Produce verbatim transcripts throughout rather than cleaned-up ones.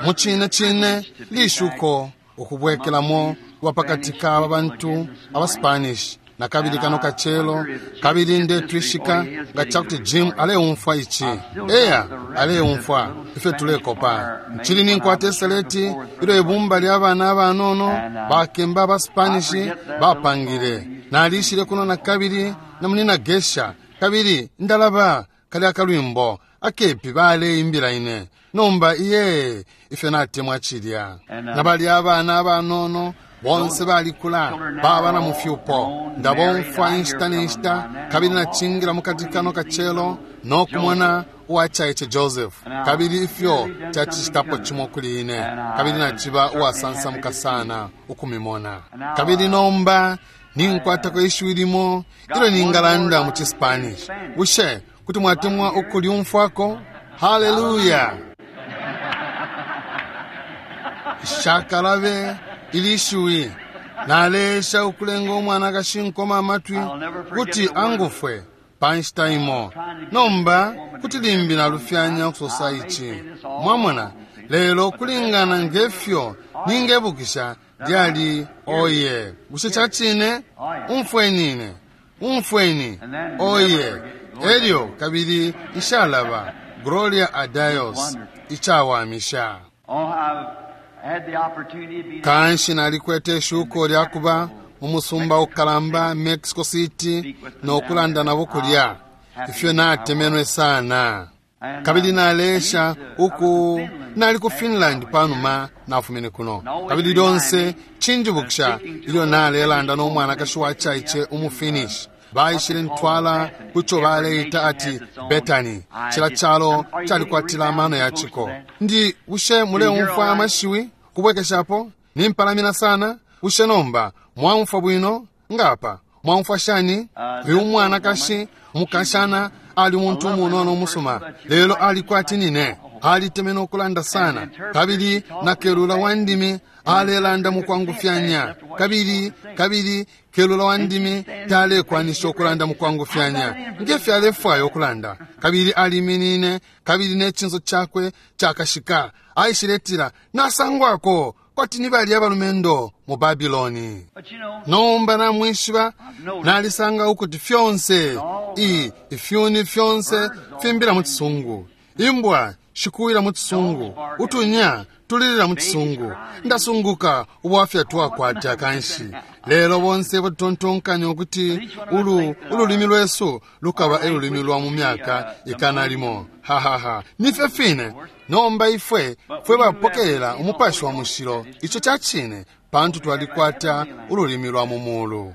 Mu cine cine lishuko ukubwekelamo kuba pakati ka bantu aba Spanish na kabili kano kacelo, kabili ndetwishika nga cakuti Jim aleumfwa ici. Eya, aleumfwa ifyo tulekopa. Ncili ninkwata iseleti ilyo ibumba lya bana abanono bakemba aba Spanish bapangile. Nalishile kuno na kabili na munina Gesha, kabili ndalaba kali akalwimbo akepi baleimbila ine. Nomba iye ifyo natemwa cilya. Na bali abana abanono bonse balikula baba na mufyupo, ndabomfwa inshita n'inshita, kabili nacingira mukati kano kacelo nokumona uwacaice Joseph, kabili ifyo cacicitapo cimo kuli ine, kabili naciba uwasansamuka sana ukumimona. Kabili nomba ninkwatako ishiwi limo ilyo ningalanda mu Chispanish. Bushe kuti mwatemwa ukulyumfwako? Haleluya! Shakalabe ilishiwi nalesha ukulenga umwanakashi nkoma amatwi kuti angufwe panshita imo. Nomba kuti limbi nalufyanya ukusosa ici, mwamona, lelo kulingana ngefyo ningebukisha lyali oye. Bushe cacine? Umfweni, umfweni oye. Elyo kabili ishalaba Gloria a Dios, icawamisha. Kanshi nalikwete ishuko lyakuba mu musumba ukalamba Mexico City nokulanda nabo kulya. Ifyo natemenwe sana. Kabili nalesha uku nali ku Finland panuma nafumine kuno. Kabili lyonse cinjibukisha ilyo nalelanda no mwanakashi wa caice umu Finnish. Baishile ntwala kucho baleita ati Betani. Cila calo calikwatila amano ya chiko. Ndi bushe muleumfwa amashiwi kubwekeshapo? Nimpalamina sana. Bushe nomba mwaumfwa bwino? Ngapa mwaumfwa shani? Uyu mwanakashi mukashana ali muntu umunono umusuma, lelo alikwati nine alitemene okulanda sana, kabili na kelula wa ndimi alelanda mukwangufyanya, kabili kabili kelula wa ndimi talekwanisha okulanda mukwangufyanya ngefyo alefwaya okulanda. Kabili aliminine, kabili n'ekinso kyakwe kyakashika aishiletila nasangwako kwati ni bali abalumendo mu Babiloni. Nomba namwishiba nalisanga ukuti fyonse i ifyuni fyonse fimbila mu kisungu, imbwa shikuwila mu kisungu, utunya tulilila mu kisungu. Ndasunguka ubwafya twakwata kanshi. Lelo bonse batontonkanya ukuti ulu ululimi lwesu lukaba elulimi lwa mu myaka ikana limo. Hahaha, nifyo fine. Nomba ifwe fwe bapokelela umupashi wa mushilo, ico cacine, pantu twalikwata ululimi lwa mu mulu.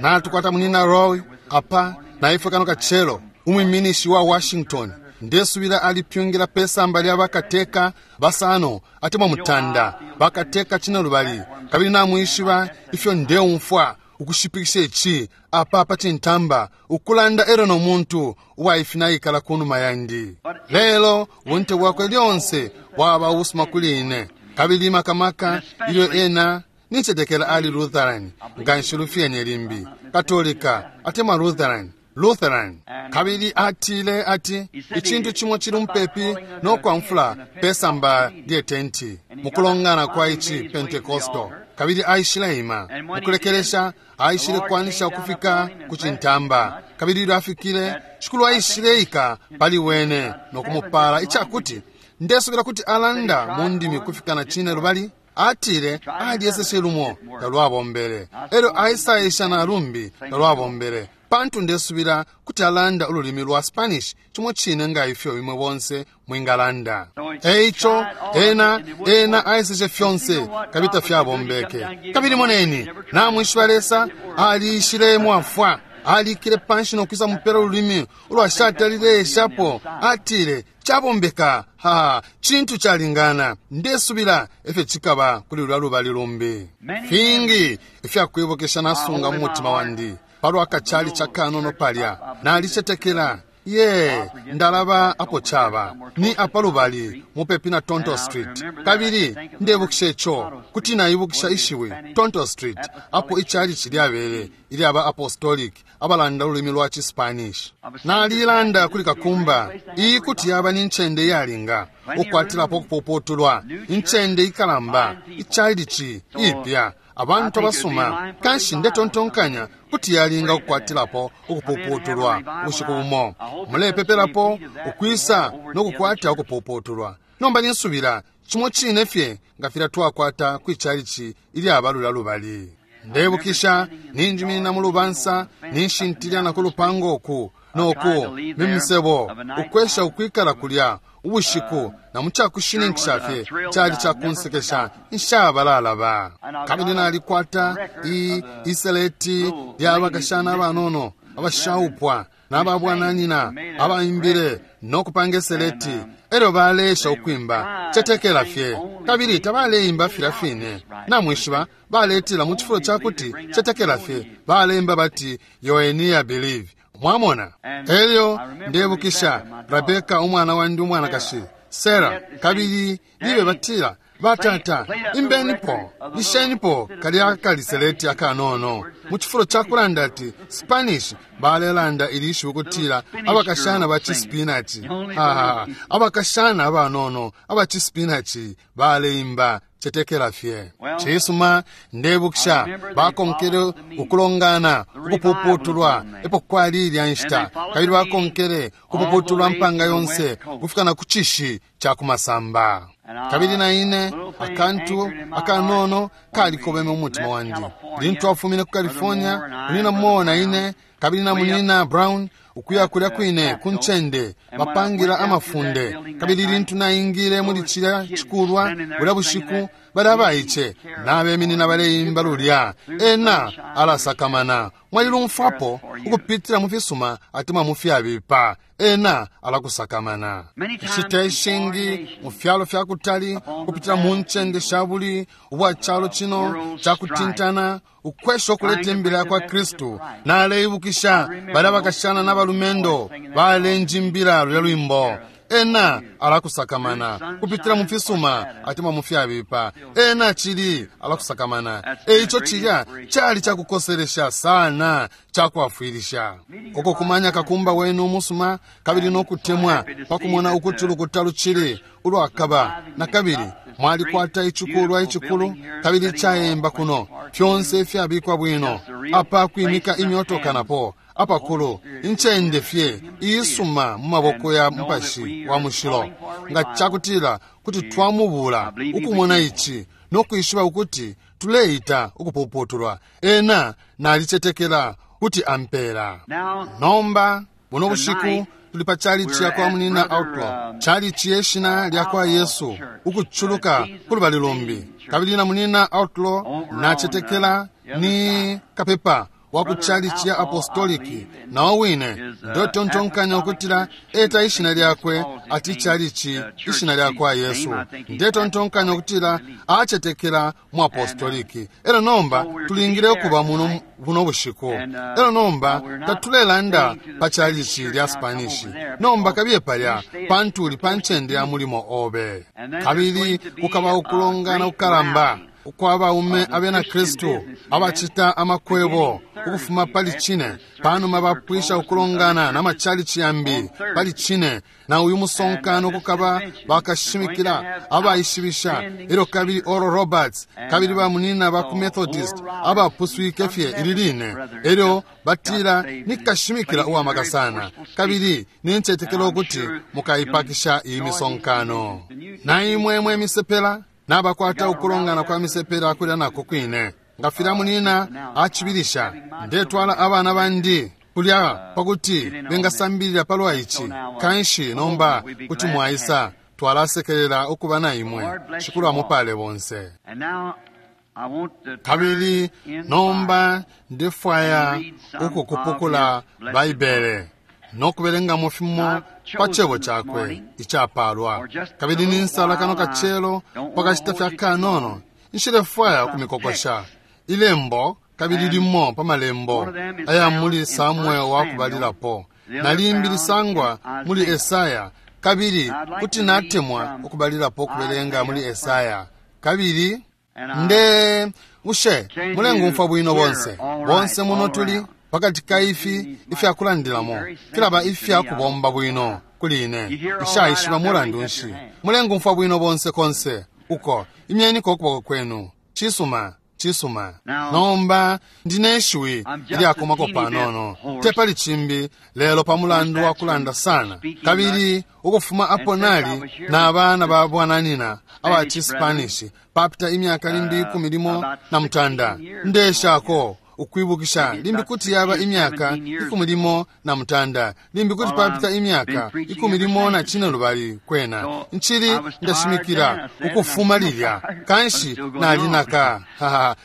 Natukwata munina Roy apa na ifwe kano kacelo umwiminishi wa Washington. Ndesubila alipyungila pesamba lya bakateka basano atemwa mutanda bakateka cina lubali. Kabili namwishiba ifyo ndeumfwa ukushipikisha ici apa pa cintamba ukulanda ero no muntu uwaifinaikala kunuma yandi. Lelo ubunte bwakwe lyonse bwaba ubusuma kuli ine, kabili makamaka ilyo ena nincetekela ali Lutheran nganshi lufyenye limbi Katolika atemwa Lutheran Lutheran. Kabili atile ati icintu cimo cili mupepi nokwamfula pesamba lye tenti mukulongana kwa ici Pentecostal. Kabili aishile ima mukulekelesha aishile kwanisha ukufika ku cintamba. Kabili ilyo afikile shikulu aishile ika pali wene nokumupala icakuti ndesubila kuti alanda mu ndimi kufika na cine lubali. Atile alyeseshe lumo talwabombele, elyo aisaisha na lumbi talwabombele, pantu ndesubila kuti alanda ululimi lwa Spanish cimo cine nga ifyo imwe bonse mwingalanda. Eico ena ena aiseshe fyonse kabili tafyabombeke. Kabili moneni namwishiba Lesa aliishile mwafwa, alikile panshi nokwisa mupela ululimi ulwashatalile eshapo. Atile cabombeka, ha cintu calingana. Ndesubila efyo cikaba kuli lulya lubali lumbi. Fingi ifyakwibukisha nasunga mu mutima wandi palwa kacali ca kanono palya. Nalicetekela Ye, ndalaba apo chaba ni apalubali mupepi na Tonto Street. Kabili ndebukisha ico kuti naibukisha ishiwi Tonto Street, apo ichalichi lyabele ilyaba Apostolic abalanda ululimi lwa Chispanish. Nalilanda kuli kakumba iyi kuti yaba ni ncende iyalinga ukwatilapo kupuputulwa, incende ikalamba, ichalichi ipya, abantu abasuma. Kanshi ndetontonkanya kuti yalinga ukukwatilapo ukupuputulwa ubushiku bumo. Mulepepelapo ukwisa nokukwata ukupuputulwa. Nomba ninsubila cimo cine fye nga filya twakwata kwichalichi ilyaba lulya lubali. Ndebukisha ninjiminina mu lubansa, ninshintilya na ku lupango uku noku mimisebo, ukwesha ukwikala kulya ubushiku, na mu cakushininkisha fye cali cakunsekesha nshabalalaba. Kabili nalikwata i iseleti lyabakashana abanono abashaupwa n'ababwananyina abaimbile nokupanga iseleti. Elyo baleesha ukwimba cetekela fye, kabili tabaleimba filya fine. Namwishiba baletila mu cifulo cakuti cetekela fye, baleimba bati yoenia believe. Mwamona? Elyo ndebukisha Rebeka umwana wandi umwanakashi Sara, kabili libe batila, batata imbenipo lishenipo kalya kaliseleti akanono. Mu cifulo cakulanda ati Spanish, balelanda ilishiwi kutila abakashana ba chispinachi. Ha, abakashana abanono aba chispinachi baleimba cetekela fye. Cisuma, ndebukisha bakonkele ukulongana ukupuputulwa epo kwali ilya nshita, kabili bakonkele kupuputulwa mpanga yonse kufika na ku cishi ca kumasamba. Kabili na ine akantu akanono kalikobeme umutima wandi lintu afumine ku California. Munina Moore na ine kabili na munina Brown ukuya kulya kwine ku ncende bapangira amafunde. Kabili lintu naingile muli cilya cikulwa bulya bushiku, bali abaice nabeminina baleimba lulya ena alasakamana. Mwalilumfwapo ukupitila mu fisuma atemwa mu fyabipa, ena alakusakamana. Inshita ishingi mu fyalo fya kutali, kupitila mu ncende sha buli ubwa calo cino cakutintana, ukwesha okuleta imbila kwa Kristu, naleibukisha bali abakashana n'abalumendo balenjimbila lulya lwimbo. Ena alakusakamana kupitila mu fisuma atemwa mu fyabipa, ena cili alakusakamana. Eico cilya cali cakukoselesha sana, cakwafwilisha uko kumanya kakumba wenu umusuma kabili nokutemwa pakumona ukuti ulukuta lucili ulwakaba. Na kabili mwalikwata icikulwa icikulu kabili cayemba kuno, fyonse fyabikwa bwino apa kwimika imyotoka napo apakulu, incende fye iisuma mu maboko ya Mupashi wa Mushilo. Nga cakutila kuti twamubula ukumona ici nokwishiba ukuti tuleita ukupuputulwa, ena nalicetekela kuti ampela. Nomba buno bushiku tuli pa chalichi ya kwa munina Outlaw, chalichi yeshina lya kwa Yesu ukuchuluka kulubali lumbi. Kabili na munina Outlaw nacetekela ni kapepa wa ku chalichi ya Apostoliki, nawo wine ndotontonkanya ukutila eta ishina lyakwe ati chalichi ishina lya kwa Yesu. Ndetontonkanya ukutila acetekela mu Apostoliki. Elo nomba tulingile ukuba muno buno bushiku. Elo nomba tatulelanda pa chalichi lya Spanish. Nomba kabiye palya pantu uli pa ncende ya mulimo obe. Kabili kukaba ukulongana kukalamba ukwa baume abena Kristu abacita amakwebo ukufuma pali cine, panuma bapwisha ukulongana na machalichi yambi pali cine, na uyu musonkano kukaba bakashimikila abaishibisha. Elyo kabili Oral Roberts kabili bamunina ba ku Methodist abapuswike fye ili line. Elyo batila nikashimikila uwamaka sana, kabili nincetekela ukuti mukaipakisha iyi misonkano. Na imwe mwe misepela nabakwata ukulongana kwa misepela kulya nako kwine. Nga filya munina acibilisha, ndetwala abana bandi kulya pakuti bengasambilila palwa ici. Kanshi nomba kuti mwaisa, twalasekelela ukuba na imwe. Shikulu amupale bonse. Kabili nomba ndefwaya ukukupukula Baibele nokubelengamo fimo pa cebo cakwe icapalwa. Kabili ninsala kano kacelo pakashita fya kanono, nshilefwaya ukumikokosha ilembo kabili limo pa malembo aya muli Samuel wa kubalilapo. Na limbi lisangwa muli Esaya, kabili kuti natemwa ukubalilapo ukubelenga muli Esaya. Kabili nde bushe mulengumfwa bwino bonse bonse muno tuli pakati ka ifi ifyakulandilamo filaba ifyakubomba bwino kuli ine ishaishiba mulandu nshi. Mulengumfwa bwino bonse konse uko, imyeniko ukuboko kwenu. Cisuma, cisuma. Nomba ndine ishiwi ilyakomako panono, te pali cimbi lelo pa mulandu wa kulanda sana. Kabili ukufuma apo nali na abana ba bwananina aba cispanish papita imyaka limbi ikumi limo na mutanda, ndeshako ukwibukisha limbi kuti yaba imyaka ikumi limo na mutanda, limbi kuti papita imyaka ikumi limo na cine lubali. Kwena nchili ndashimikila ukufuma lilya, kanshi nalinaka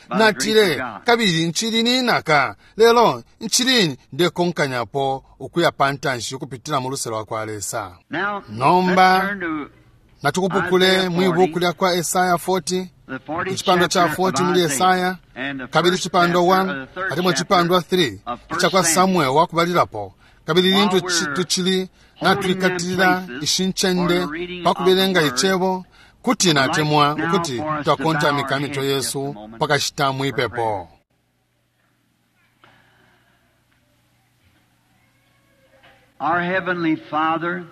natile, kabili nchili ninaka, lelo nchili ndekonkanyapo ukuya pantanshi ukupitila mu luse lwa kwa Lesa. Nomba natukupukule mwi buku lya kwa Esaya forty, icipandwa cha forty muli Esaya, kabili icipandwa one atemwa icipandwa three icakwa Samuel wakubalilapo. Kabili lintu tucili natwikatilila ishi ncende pakubelenga icebo, kuti natemwa ukuti twakontamika mitwe yesu pakashita mwipepo. Our Heavenly Father,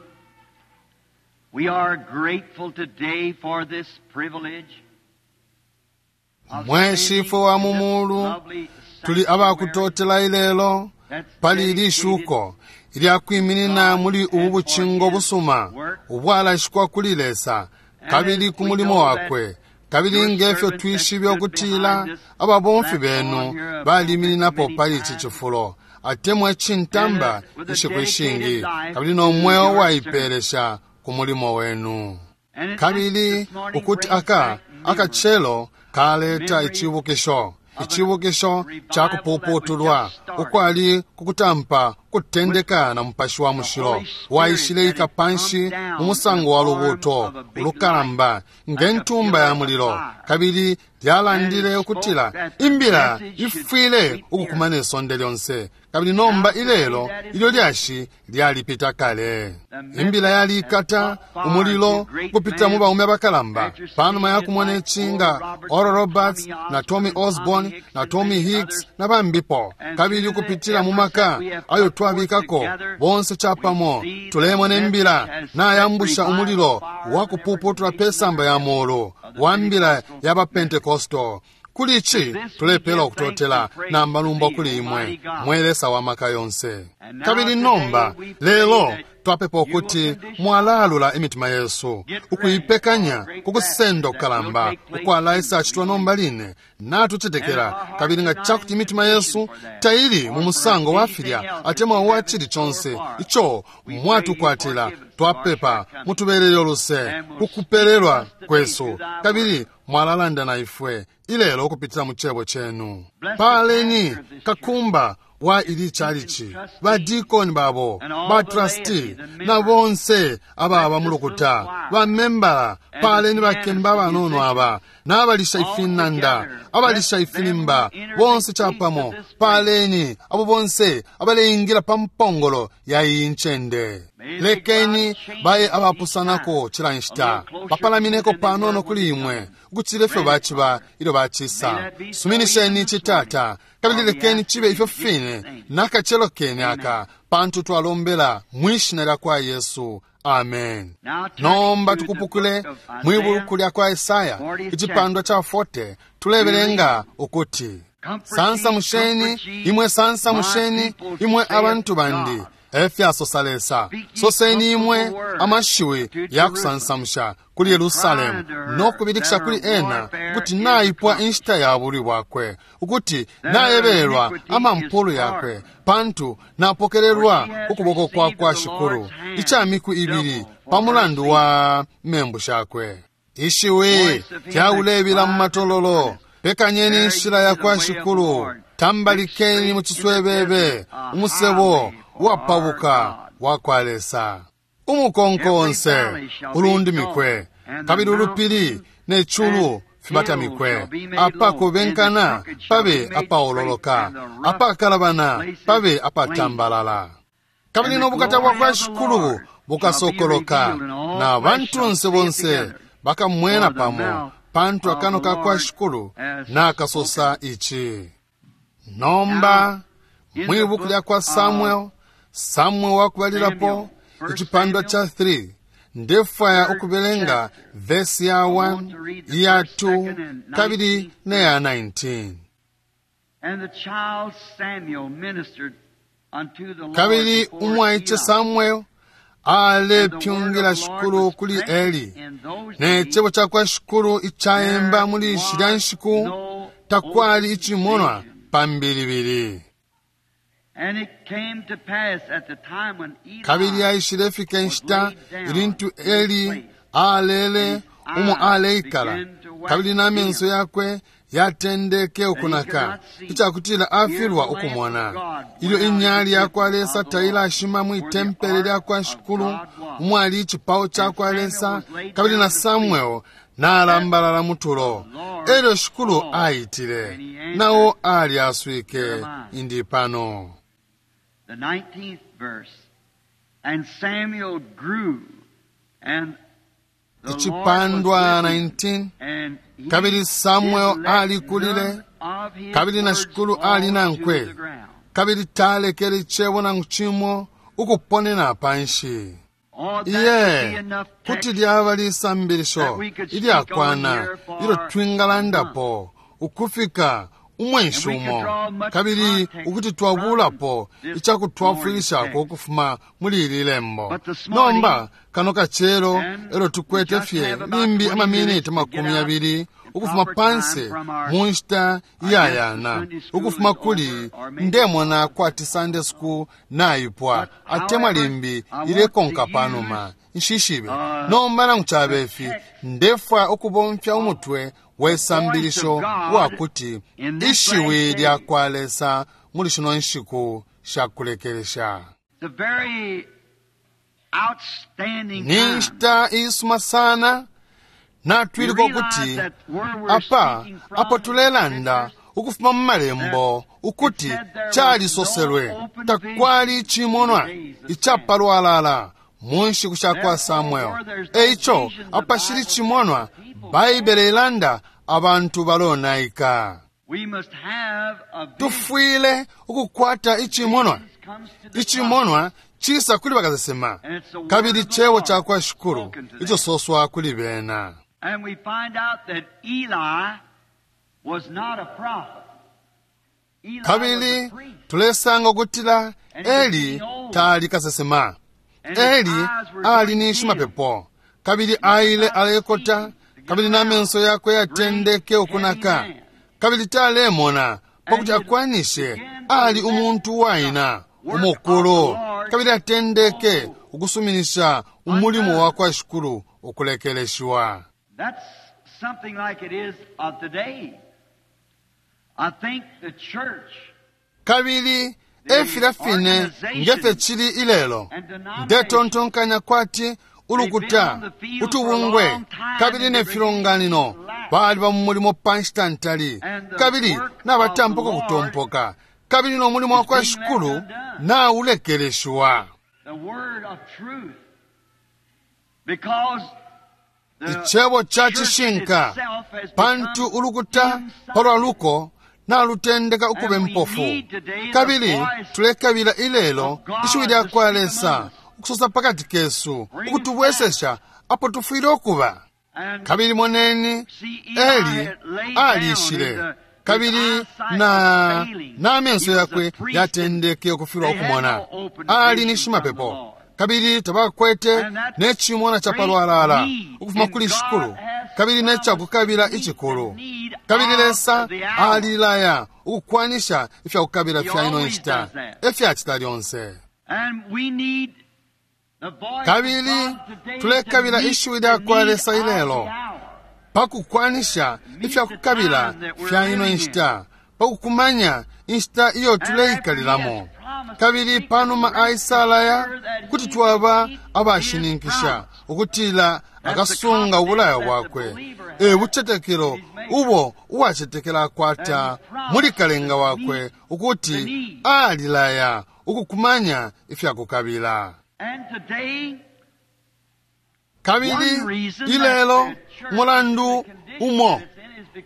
we are grateful today for this privilege. Mwe Shifwe wa mu mulu, tuli abakutotela ilelo pali ili shuko ilyakwiminina muli ubu bucingo busuma ubwalashikwa kuli Lesa kabili ku mulimo wakwe. Kabili ngefyo twishibe ukutila ababomfi benu balimininapo pali ici cifulo atemwa cintamba inshiku ishingi, kabili no mweo waipelesha ku mulimo wenu. Kabili ukuti aka akacelo kaleta icibukisho, icibukisho ca kupuputulwa ukwali kukutampa kutendeka na Mupashi wa Mushilo waishileika panshi mu musango wa lubuuto ulukalamba nge ntumba ya mulilo, kabili lyalandile ukutila imbila ifwile ukukumana isonde lyonse. Kabili nomba ilelo ilyo lyashi lyalipita kale. Imbila yalikata umulilo kupita mu baume abakalamba panuma ya kumona icinga Oral Roberts na Tommy Osborne na Tommy Hicks na bambipo, kabili ukupitila mu maka ayo twabikako bonse chapamo tulemona imbila nayambusha umulilo wa kupuputula pe samba ya mulu wa mbila ya bapentekosto. Kuli ici tulepela ukutotela na malumbo kuli imwe, mwe Lesa wa maka yonse. Kabili nomba lelo twapepa ukuti mwalalula imitima yesu ukuipekanya kukusenda kukalamba ukwalaisa acitwa nomba line. Natucetekela kabili nga cakuti imitima yesu taili mu musango wa filya atemwa wa cili conse ico mwatukwatila, twapepa mutubelele uluse kukupelelwa kwesu, kabili mwalalanda na ifwe ilelo ukupitila mu cebo cenu. Paleni kakumba wa ili chalichi, badikoni babo, batrasti na bonse ababa mu lukuta, bamembala. Paleni bakemba abanono aba n'abalisha ifinanda, abalisha ifilimba, bonse chapamo. Paleni abo bonse abaleingila pa mpongolo ya iyi ncende. Lekeni baye abapusanako cila nshita, bapalamineko panono kuli imwe ukucila ifyo baciba ilyo bacisa. Suminisheni citata, kabili lekeni cibe ifyo fine nakacelo kene aka, pantu twalombela mwishina lya kwa Yesu. Amen. Nomba tukupukule mwi buku lya kwa Esaya icipandwa cha forty, tulebelenga ukuti sansamusheni imwe, sansamusheni imwe abantu bandi, efyasosa Lesa. Soseni imwe amashiwi ya kusansamusha kuli Yerusalemu no kubilikisha kuli ena ukuti naipwa inshita ya bulwi bwakwe, ukuti naebelwa amampulu yakwe, pantu napokelelwa ukuboko kwa kwa Shikulu ica miku ibili pa mulandu wa membu shakwe. Ishiwi lyaulebila mu matololo, pekanyeni inshila ya kwa Shikulu, tambalikeni mu ciswebebe umusebo uwapabuka wa kwa Lesa. Umukonko onse ulundimikwe, kabili ulupili ne culu fibatamikwe. Apakubenkana pabe apaololoka, apakalabana pabe apatambalala. Kabili And the no bukata bwa glory kwa of the Shikulu Lord shall be bukasokoloka, revealed, and all na flesh shall bantunse see it bonse together. bakamwena For the pamo, mouth pantu of akano the ka kwa Lord Shikulu has nakasosa ichi. Nomba In mwi the buku lya book kwa of Samuel, Samuel wakubalilapo Samuel, First icipandwa Samuel, cha three, ndefwaya third ukubelenga chapter. vesi ya I want one, to read the iya first, two, second, and kabili nineteenth ne ya nineteen. And the child Samuel ministered unto the Lord Kabili before umwaiche Eli. Samuel And the word of alepyungila the Lord Shikulu was kuli precious Eli. in those Ne days. cebo ca kwa Shikulu icaemba There muli shilya was nshiku no takwali open icimonwa vision. pambilibili. And it came to pass at the time when Eli Kabili aishilefika inshita ilintu Eli alele umo aleikala, kabili na menso yakwe yatendeke ukunaka icakutila afilwa ukumona. Ilyo inyali yakwa Lesa tailashima mwi tempele lya kwa Shikulu umwali icipao ca kwa Lesa, kabili na Samuel nalambalala mutulo. Elyo Shikulu aitile, nawo alyaswike, indi pano. The nineteenth verse. And Samuel grew, and the Lord was Icipandwa with him, nineteen. and he Kabili Samuel did let alikulile, none of his kabili na words Shikulu fall ali to nankwe. the ground. Kabili talekele icebo nangu cimo ukuponena panshi. Oh, that would be Iye, enough kuti text lyaba lisambilisho that we could speak ilyakwana on here for ilyo twingalandapo ukufika umwenshi And we could umo, draw much kabili context ukuti twabulapo from this icakutwafwilishako morning's text. ukufuma muli ili lembo. But this morning, Nomba kano kacelo and elo tukwete we just fye have about limbi twenty amaminiti minutes to makumi get out yabili in ukufuma proper panse time from our mu nshita I guess the iyayana Sunday school ukufuma is kuli over, or maybe ndemona kwati Sunday school naipwa, But atemwa however, limbi I want ilekonka to panuma use, nshishibe. uh, Nomba nangu cabe the ifi, text ndefwaya ukubomfya umutwe we sambilisho of God wakuti in this ishiwi last lya day. kwa Lesa muli shino nshiku shakulekelesha. The very outstanding Ni time. nshita iisuma sana natwiliko We realize ukuti that where we're apa speaking from apo in the tulelanda scriptures, ukufuma mu malembo ukuti it said there was calisoselwe no open takwali vision icimonwa in the days of icapalwalala mu nshiku sha kwa Therefore, Samuel. where there's no Eico vision, the apashili Bible cimonwa, says people Baibele ilanda abantu balonaika. We must have a vision. Tufwile ukukwata icimonwa. Comes to the Icimonwa cisa kuli bakasesema, And it's the word kabili of the cebo Lord ca kwa Shikulu spoken to them. icososwa kuli bena. And we find out that Eli was not a prophet. Eli was Kabili a priest. tulesanga ukutila And he was Eli getting old. tali kasesema. And his Eli eyes were ali getting ni dim. shimapepo, kabili aile alekota, kabili n'amenso yakwe yatendeke ukunaka, kabili talemona pakuti akwanishe ali umuntu waina umukulu, kabili atendeke ukusuminisha umulimo wa kwa Shikulu ukulekeleshiwa. That's something like it is of today. I think the church Kabili efilya fine ngefyo cili ilelo, ndetontonkanya kwati ulukuta utubungwe kabili ne filonganino baliba mu mulimo pa nshita ntali, kabili nabatampuka kutompoka, kabili no mulimo wa kwa Shikulu naulekeleshiwa. the word of truth, because the Icebo ca church cishinka, itself has pantu become ulukuta palwa luko nalutendeka ukuba impofu. Kabili tulekabila ilelo ishiwi lya kwa Lesa ukusosa pakati kesu ukutubwesesha apo tufwile ukuba. and Kabili moneni see Eli Eli had laid down alishile, and the, kabili his eyesight na was failing. n'amenso He was a yakwe priest yatendeke ukufilwa They had ukumona. no open Ali ni vision from the shimapepo, Lord. kabili tabakwete And that ne cimona ca great palwalala need, ukufuma and kuli God Shikulu, has kabili ne cakukabila promised to meet icikulu. the need Kabili of Lesa the hour. alilaya ukukwanisha ifyakukabila He fya ino always nshita, does that. efyacita lyonse. And we need the voice of Kabili God today to tulekabila meet ishiwi the lya kwa need Lesa of ilelo the hour. pakukwanisha ifyakukabila fya ino nshita, pakukumanya inshita iyo tuleikalilamo. Kabili panuma aisalaya kuti twaba abashininkisha ukutila akasunga ubulayo bwakwe. E bucetekelo ubo uwacetekela akwata muli kalenga wakwe ukuti alilaya ukukumanya ifyakukabila. And today, Kabili ilelo mulandu umo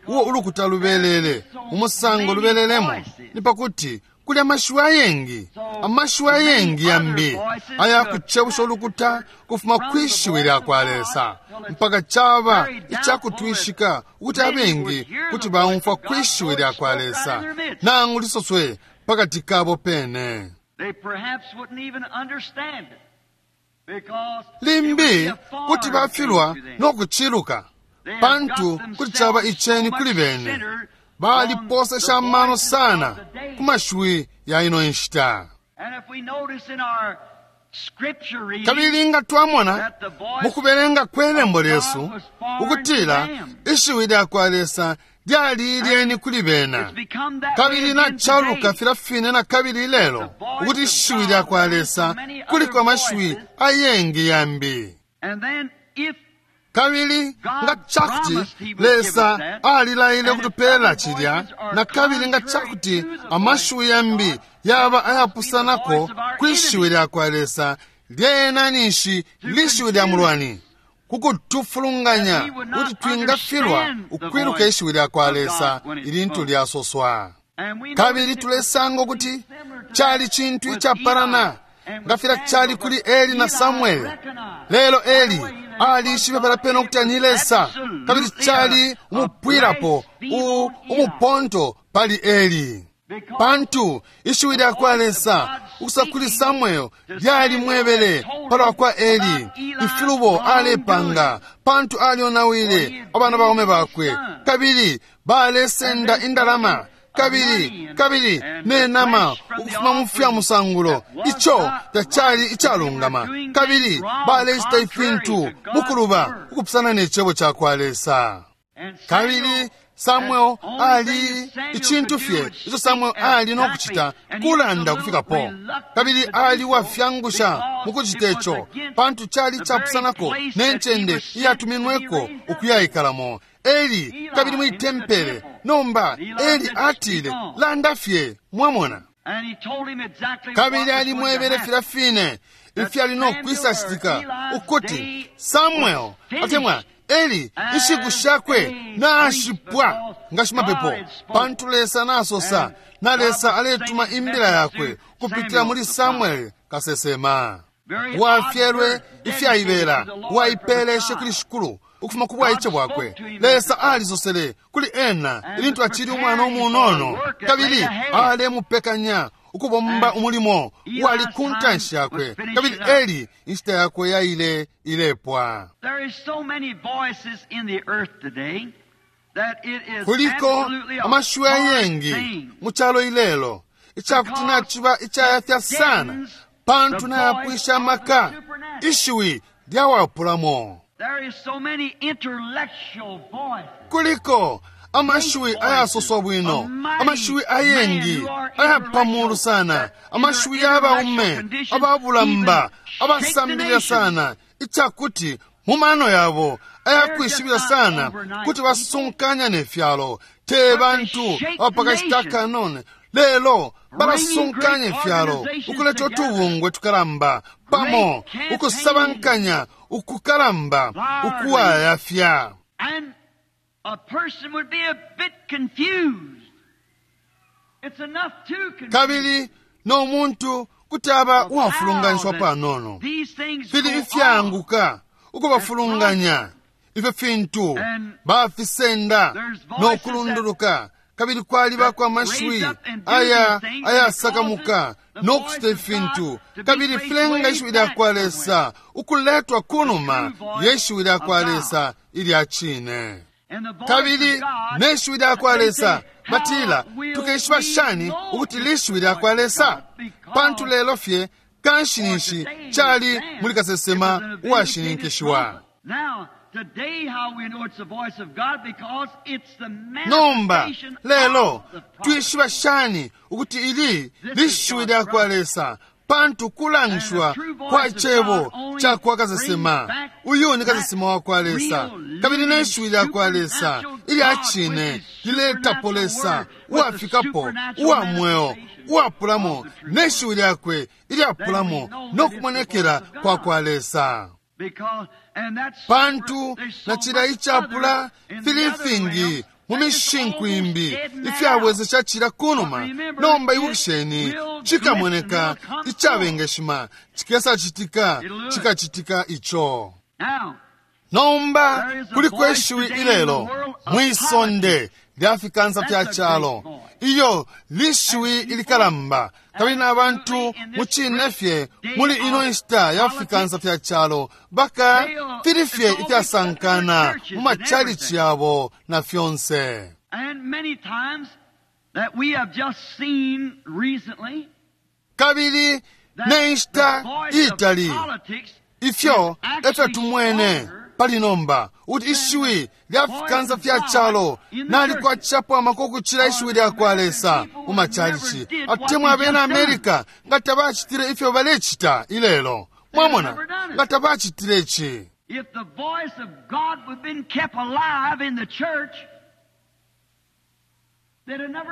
uwo ulukuta lubelele umusango lubelelemo ni pakuti kuli amashiwi ayengi, amashiwi ayengi yambi aya kucebusha ulukuta kufuma kwishiwi lya kwa Lesa, mpaka caba icakutwishika ukuti abengi kuti baumfwa kwishiwi lya kwa Lesa nangu lisoswe pakati kabo pene. they perhaps wouldn't even understand it. Because it would Limbi be a foreign kuti bafilwa thing to them. no kuchiluka, They have pantu got kuti caba themselves iceni so kuli much bene. centered Baliposesha on the amano voices sana of the day. ku mashiwi ya ino nshita. And if we notice in our scripture reading Kabili nga twamona that the voice mu kubelenga kwe lembo lyesu ukutila ishiwi lya kwa Lesa lyali ilyeni kuli bena, has become that way kabili again nacaluka today. filya fine na kabili ilelo ukuti ishiwi lya kwa Lesa kuliko amashiwi ayengi yambi. And then if Kabili nga cakuti Lesa alilaile ukutupela cilya, na kabili nga cakuti amashiwi yambi yaba ayapusanako kwishiwi lya kwa Lesa, lyena ninshi lishiwi lya mulwani kukutufulunganya kuti twingafilwa ukwiluka ishiwi lya kwa Lesa ilintu lyasoswa. and we Kabili notice it tulesanga ukuti similar to cali that cintu with icapalana Eli and nga with filya cali Samuel, kuli but Eli na Eli Samueli. recognized Lelo Eli right away that alishibe pala pene ukuti ni Lesa, kabili cali umupwilapo u- umuponto pali Eli, pantu ishiwi lya kwa Lesa ukusa kuli Samuel lyalimwebele palwa kwa Eli ifilubo alepanga, pantu alionawile abana baume bakwe, kabili balesenda indalama kabili kabili ne nama ukufuma mu fya musangulo. Ico tacali icalungama, kabili balecita ifintu mukuluba ukupusana ne cebo ca kwa Lesa. And Kabili Samuel Samuel ali icintu fye ico Samuel ali no kucita kulanda kufikapo, kabili ali wafyangusha mu kucita ico, pantu cali capusanako ne ncende iyatuminweko ukuyaikalamo Eli kabili mwi tempele. Nomba Eli atile, landa fye, mwamona. And he told him exactly Kabili what was going to alimwebele happen. filya fine ifyali no kwisacitika ukuti Samuel atemwa Eli inshiku shakwe nashipwa nga shimapepo, pantu Lesa nasosa na Lesa aletuma imbila yakwe kupitila muli Samuel kasesema wafyelwe ifyaibela, waipeleshe kuli Shikulu ukufuma ku bwaice bwakwe. Lesa alisosele kuli ena ilintu acili umwana umunono, kabili alemupekanya ukubomba umulimo wali ku ntanshi yakwe. Kabili Eli inshita yakwe yaile ilepwa. There is so many voices in the earth today that it is Kuliko absolutely a amashiwi hard ayengi thing mu calo ilelo icakuti naciba icayafya sana, pantu nayapwisha amaka ishiwi lyawapulamo. There is so many intellectual voices. Kuliko amashiwi ayasoswa bwino, amashiwi ayengi ayapamulu sana, amashiwi y'abaume ababulamba abasambilila sana, icakuti mu mano yabo ayakwishibila sana kuti basunkanya ne fyalo. Te bantu abapakashita akanono, lelo balasunkanya ifyalo ukuleta utubungwe tukalamba pamo, ukusabankanya ukukalamba ukuwayafya. And a person would be a bit confused. It's enough to confuse. Kabili no muntu kuti aba uwafulunganishiwa panono. These things Fili go on. ifyanguka ukubafulunganya ifyo fintu bafisenda no kulunduluka. Kabili kwalibako amashiwi aya ayasakamuka no kucita ifintu, kabili filenga ishiwi lya kwa Lesa ukuletwa kunuma ye shiwi lya kwa Lesa ilya cine. And the voice Kabili of God, ne shiwi lya kwa they Lesa say, batila, how will tukeshiba we shani know ukuti this lishiwi lya kwa voice of Lesa? God? Because Pantu lelo fye kanshi ninshi cali muli kasesema uwashininkishiwa. Now, today how we know it's the voice of God because it's the Nomba manifestation lelo of the prophet. twishiba shani ukuti ili lishiwi lya kwa Lesa? Pantu kulangishiwa kwa cebo ca kwa kasesema. Uyu ni kasesema wa kwa Lesa, kabili ne shiwi lya kwa Lesa ilya cine liletapo Lesa uwafikapo uwa mweo uwapulamo ne shiwi lyakwe ilyapulamo no kumonekela kwa kwa Lesa. Pantu na cila icapula fili ifingi mu mishinku imbi ifyabwezesha cila kunuma. Nomba ibukisheni, cikamoneka icabengeshima, cikesacitika, cikacitika ico. Nomba kuliko ishiwi ilelo mwisonde lya fikansa fya calo, iyo lishiwi ilikalamba, kabili na bantu mucine fye muli ino nshita ya fikansa fya calo baka fili fye ifyasankana mu machalichi yabo na fyonse. Kabili ne nshita itali ifyo efyo tumwene pali nomba kuti ishiwi lya fikansa fya calo nalikwatishapo amaka ukucila ishiwi lya kwa Lesa mu machalichi. Atemwa abena Amerika nga tabacitile ifyo balecita ilelo, mwamona, nga tabacitile ici.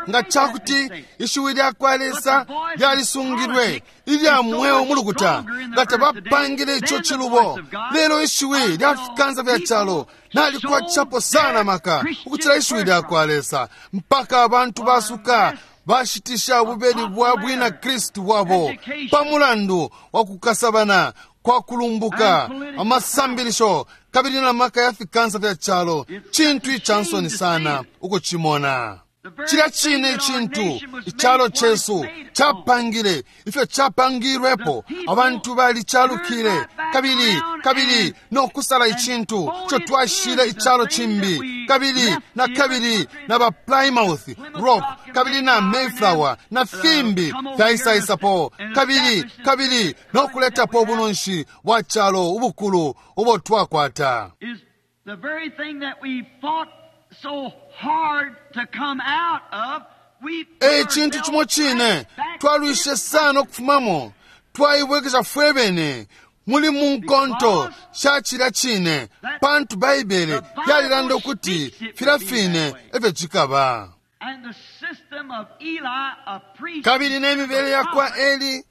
Nga cakuti ishiwi lya kwa Lesa lyalisungilwe ilya mweo mu lukuta, nga tabapangile ico cilubo. Lelo ishiwi lya fikansa fya calo nalikwatishapo sana maka ukucila ishiwi lya kwa Lesa, mpaka abantu basuka bashitisha ububeli bwa bwina Kristu bwabo pa mulandu wa kukasabana kwa kulumbuka amasambilisho kabili na maka ya fikansa fya calo. Cintu icansoni sana ukucimona. Cilya cine icintu icalo cesu capangile ifyo capangilwepo, abantu balicalukile kabili kabili no kusala icintu ico twashile icalo cimbi, kabili na kabili na ba Plymouth Rock kabili na Mayflower na fimbi fyaisaisapo kabili kabili no kuletapo ubunonshi bwa calo ubukulu ubo twakwata. The very thing that we fought so hard to come out of, we E cintu cimo cine twalwishe sana ukufumamo, twaibwekesha fwe bene muli munkonto sha cilya cine, pantu Baibele yalilanda ukuti filya fine efyo cikaba. And the system of Eli, a priest, Kabili ne mibele ya kwa Eli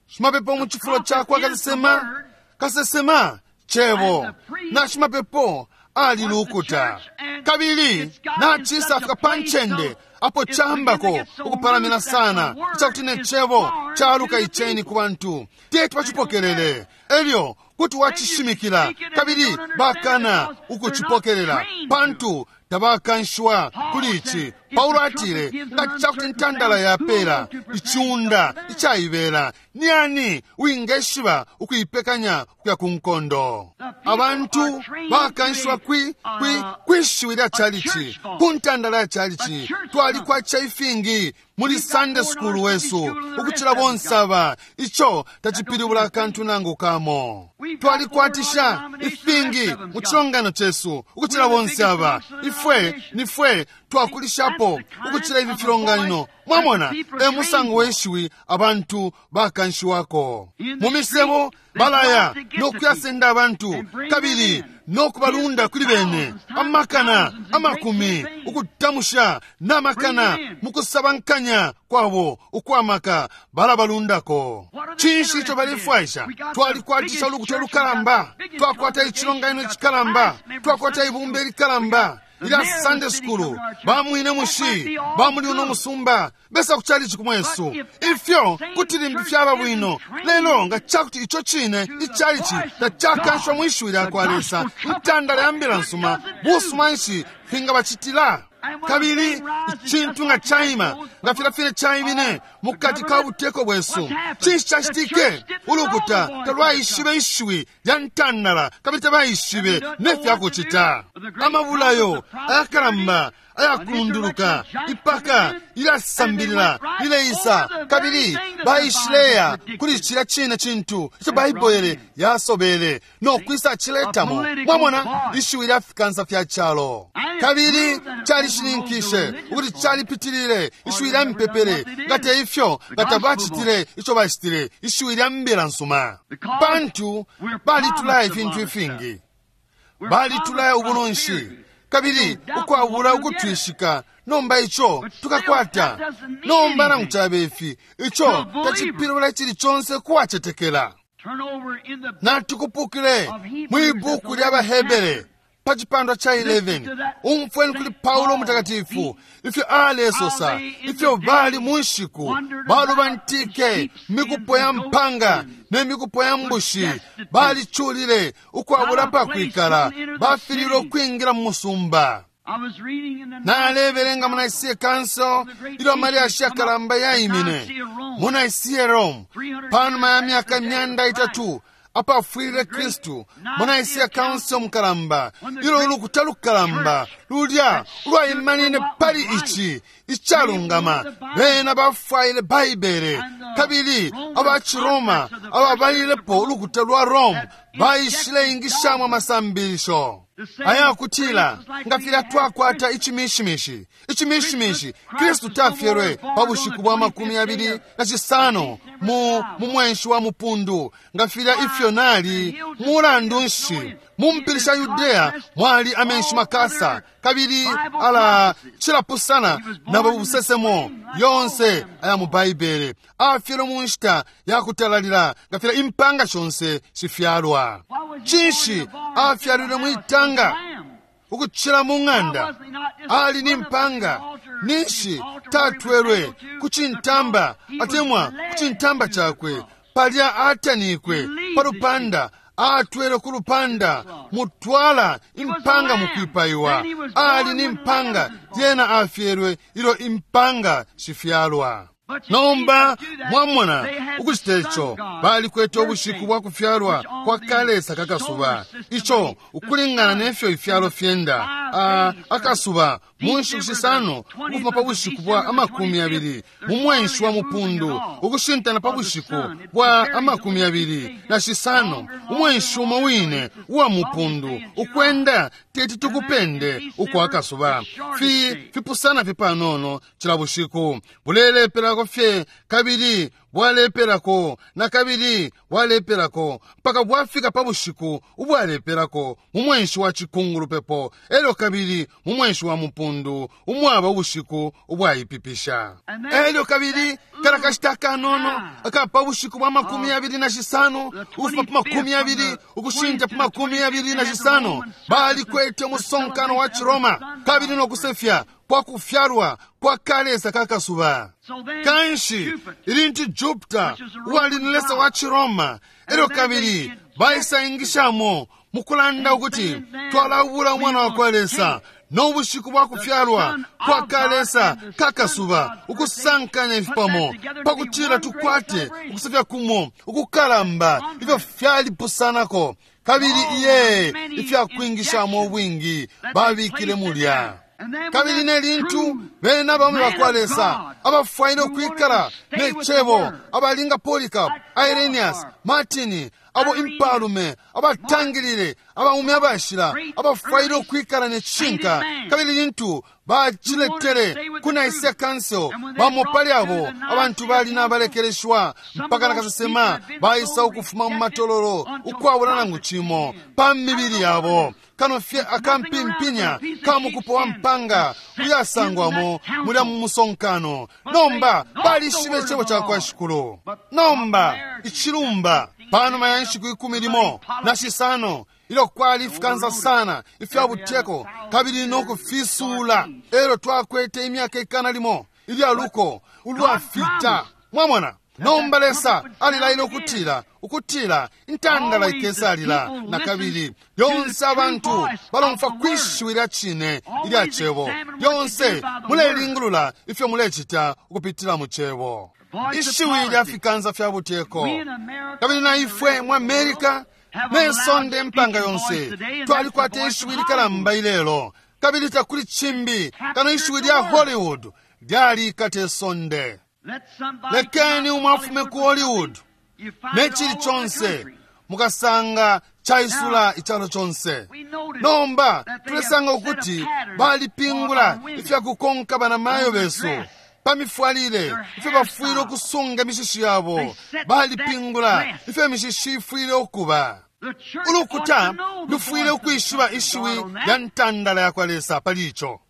shimapepo mu cifulo ca kwa kasesema, kasesema cebo na shimapepo alilukuta, kabili nacisafika pa ncende apo cambako ukupalamina sana icakuti ne cebo caluka iceni ku bantu teti bacipokelele. Elyo kuti wacishimikila kabili bakana ukucipokelela pantu tabakanshiwa kuli ici. Paulo atile, nga cakuti ntandala yapela iciunda icaibela, ni ani wingeshiba ukuipekanya kuya ku nkondo? Abantu bakanshiwa kwi, kwi, kwishiwi lya chalichi, ku ntandala ya chalichi. Twalikwacha ifingi muli Sunday school wesu ukucila bonse aba, ico tacipilibula akantu nangu kamo. Twalikwatisha ifingi mu cilongano cesu ukucila bonse aba, ifwe nifwe twakulishapo ukucila ifi filonganino. Mwamona, e musango weshiwi abantu bakanshiwako mu misebo, balaya no kuyasenda abantu kabili no kubalunda kuli bene amakana amakumi, ukutamusha n'amakana mu kusabankanya kwabo ukwamaka balabalundako. Cinshi ico balefwaisha? Twalikwatisha ulukuta olukalamba, twakwata icilonganino icikalamba, twakwata ibumba ilikalamba ilya Sunday school, bamwine mushi bamuli uno musumba besa kuchalichi kumwesu. Ifyo kuti limbi fyaba bwino, lelo nga cakuti ico cine ichalichi tacakanshwa mwishiwi lya kwa Lesa, ntandala ya mbila nsuma, busuma nshi fingabacitila? Kabili icintu nga caima nga filya fine caimine mukati ka buteko bwesu, cinshi cacitike? Ulukuta talwaishibe ishiwi lya ntandala kabili tabaishibe ne fyakucita. Amabulayo ayakalamba ayakulunduluka ipaka ilyasambilila lileisa, kabili baishileya kuli cilya cine cintu ico Baibele yasobele no kwisa ciletamo. Mwamona, ishiwi lya fikansa fya calo, kabili calishininkishe ukuti calipitilile ishiwi lya mpepele. Nga te ifyo, nga tabacitile ico bacitile, ishiwi lya mbila nsuma, pantu balitulaya ifintu ifingi, balitulaya ubunonshi, Kabili ukwabula ukutwishika nomba ico tukakwata. Nomba nangu cabe ifi, ico tacipilibula icili conse kuwacetekela. Natukupukile mwi buku lya baHebere pa cipandwa ca eleven. Umfweni kuli Paulo Mutakatifu ifyo alesosa ifyo bali mu nshiku balubantike mikupo ya mpanga ne mikupo ya mbushi, baliculile ukwabula pa kwikala, bafililwe ukwingila mu musumba. Nalebelenga mu Nicaea Council ilyo amalyashi yakalamba yaimine mu Nicaea Rome panuma ya myaka imyanda itatu apafwilile Kristu. Mu Nicaea Council mukalamba, ilyo ulukuta lukalamba lulya ulwaimanine pali ici icalungama, bena bafwaile Baibele, kabili aba Ciroma ababalilepo ulukuta lwa Rome baishile ingishamo amasambilisho ayakutila nga filya twakwata icimishimishi icimishimishi Kristu tafyelwe pa bushiku bwa makumi abili na cisano mu mu mwenshi wa mupundu nga filya ifyo nali. Mulandu nshi, mu mpili sha Yudeya mwali amenshi makasa, kabili ala cilapusana na busesemo yonse aya mu Baibele. Afyelwe mu nshita ya kutalalila nga filya impanga shonse shifyalwa. Cinshi afyalilwe mwitanga ukucila mu ng'anda? Ali ni mpanga. Ninshi tatwelwe ku cintamba atemwa ku cintamba cakwe palya atanikwe pa lupanda? Atwele ku lupanda, mutwala impanga mukwipaiwa. Ali ni mpanga, lyena afyelwe ilyo impanga shifyalwa. Nomba mwamona ukucita ico balikwete ubushiku bwa kufyalwa kwa kalesa kakasuba, ico ukulingana nefyo ifyalo fyenda akasuba mu nshiku shisano ukufuma pa bushiku bwa amakumi abili mu mwenshi wa mupundu ukushintana pa bushiku bwa amakumi abili na shisano umwenshi umo wine uwa mupundu ukwenda teti tukupende ukwa akasuba fi fipusana fye panono cila bushiku, bulelepelako fye kabili bwalepelako na kabili bwalepelako mpaka bwafika pa bushiku ubwalepelako mu mwenshi wa cikungulupepo, elyo kabili mu mwenshi wa mupundu umwaba ubushiku ubwaipipisha, elyo kabili kala kashita kanono aka pa bushiku bwa makumi abili na shisano ukufuma pa makumi abili ukushinta pa makumi abili na shisano balikwete umusonkano wa Ciroma kabili no kusefya kwa kufyalwa kwa kalesa kakasuba. Kanshi ilintu Jupiter uwali ni lesa wa Ciroma, elyo kabili baisaingishamo mukulanda ukuti twalabula umwana wa kwa Lesa no bushiku bwa kufyalwa kwa kalesa kakasuba, ukusankanya ifipamo pakutila tukwate ukusefya kumo ukukalamba. Ifyo fyalipusanako kabili iye ifyakwingishamo ubwingi babikile mulya. Kabili ne lintu bene n'abaume bakwa Lesa abafwaile ukwikala ne cebo abalinga Polycarp, Irenaeus, Martin, abo impalume abatangilile abaume abashila abafwaile ukwikala ne cishinka, kabili lintu baciletele ku Nicaea Council, bamo pali abo abantu bali nabalekeleshwa mpaka na kasesema baisa ukufuma mu matololo ukwabula nangu cimo pa mibili yabo kano fye akampimpinya ka mukupo wa mpanga uyasangwamo mulya mu musonkano. Nomba balishibe icebo ca kwa Shikulu. Nomba icilumba panuma ya nshiku ikumi limo na shisano ilyo kwali ifikansa sana ifya buteko kabili no kufisuula, elyo twakwete imyaka ikana limo ilya luko ulwafita. Mwamona, nomba Lesa alilaile ukutila ukutila intandala ikesalila na kabili. Lyonse abantu balomfa kwishiwi lya cine ilya cebo. Lyonse mulelingulula ifyo mulecita ukupitila mu cebo. Ishiwi lya fikansa fya buteko, kabili na ifwe mu Amerika ne sonde mpanga yonse twalikwata ishiwi likalamba ilelo, kabili takuli cimbi kano ishiwi lya Hollywood lyalikata isonde. Lekeni umwe afume ku Hollywood ne cili conse mukasanga caisula icalo conse. Nomba tulesanga ukuti balipingula ifyakukonka banamayo besu pa mifwalile, ifyo bafwile ukusunga imishishi yabo. Balipingula ifyo imishishi ifwile ukuba. Ulukuta lufwile ukwishiba ishiwi lya ntandala yakwa Lesa pali ico.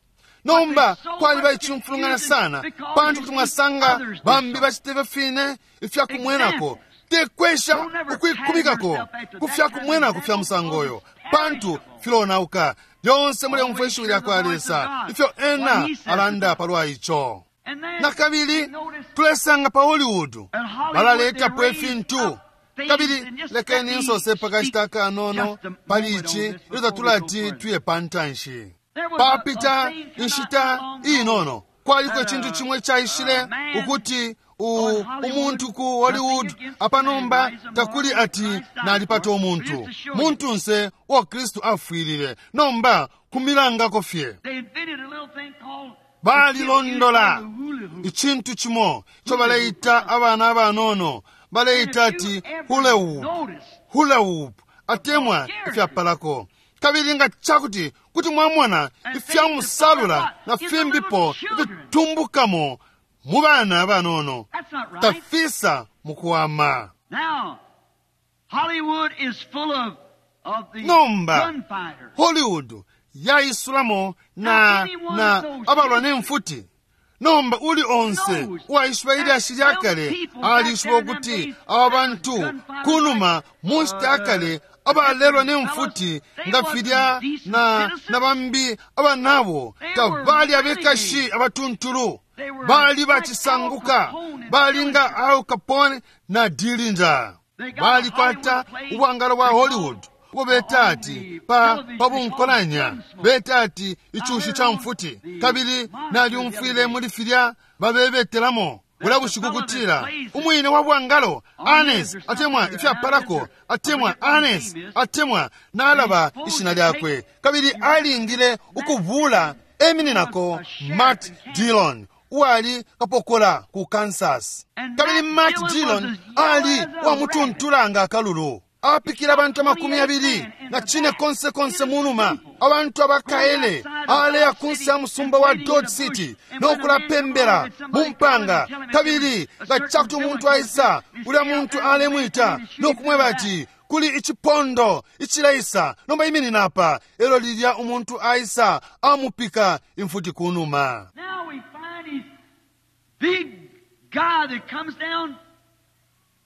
Nomba kwaliba icimfulungana sana, pantu kuti mwasanga bambi bacite fine ifyakumwenako. Tekwesha ukwikumikako ku fyakumwenako fya musango oyo, pantu filonauka. Lyonse muleumfwa ishiwi lya kwa Lesa, ifyo ena alanda palwa ico. Na kabili tulesanga pa Hollywood balaletapo ifintu. Kabili lekeni nsose pakashita kanono pali ici ilyo tatulati tuye pantanshi. Papita inshita inono kwaliko icintu chimwe chaishile ukuti umuntu ku Hollywood apanomba takuli ati nalipata umuntu muntunse uo Kristu afwilile, nomba kumilangako fye. Balilondola icintu chimo ico baleita abana abanono, baleita ati hula-hoop, hula-hoop atemwa ifyapalako. Kabili nga chakuti kuti mwamona ifyamusalula na fimbipo ifitumbukamo mu bana abanono, tafisa mukuwama. Nomba Hollywood yaisulamo na na abalwa nemfuti. Nomba uli onse uwaishiba ilyashi lya kale alishiba ukuti aba bantu kunuma mu nshita ya kale abalelwa nemfuti nga filya na, na bambi abanabo tabali abekashi abatuntulu, bali bacisanguka, bali nga Al Capone na Dillinger. Balikwata ubwangalo bwa Hollywood ubwo beta ati pa pabunkolanya, beta ati icushi ca mfuti. Kabili nalyumfwile muli filya babebetelamo bula bushiku kutila umwine wa bwangalo Anes atemwa ifyapalako atemwa Anes atemwa nalaba ishina lyakwe, kabili alingile ukuvula emininako Matt Dillon uwali kapokola ku Kansas. Kabili Matt Dillon ali wamutuntula nga akalulu, apikila abantu amakumi abili na chine konse konse munuma, abantu abakaele aleya kunsi ya musumba wa Dodge City nokulapembera mumpanga. Kabili nga chakuti umuntu aisa, ulya muntu alemwita nokumweba ati kuli ichipondo ichileisa, nomba iminina apa. Elo lilya umuntu aisa amupika imfuti kunuma. Now we find these big guy that comes down.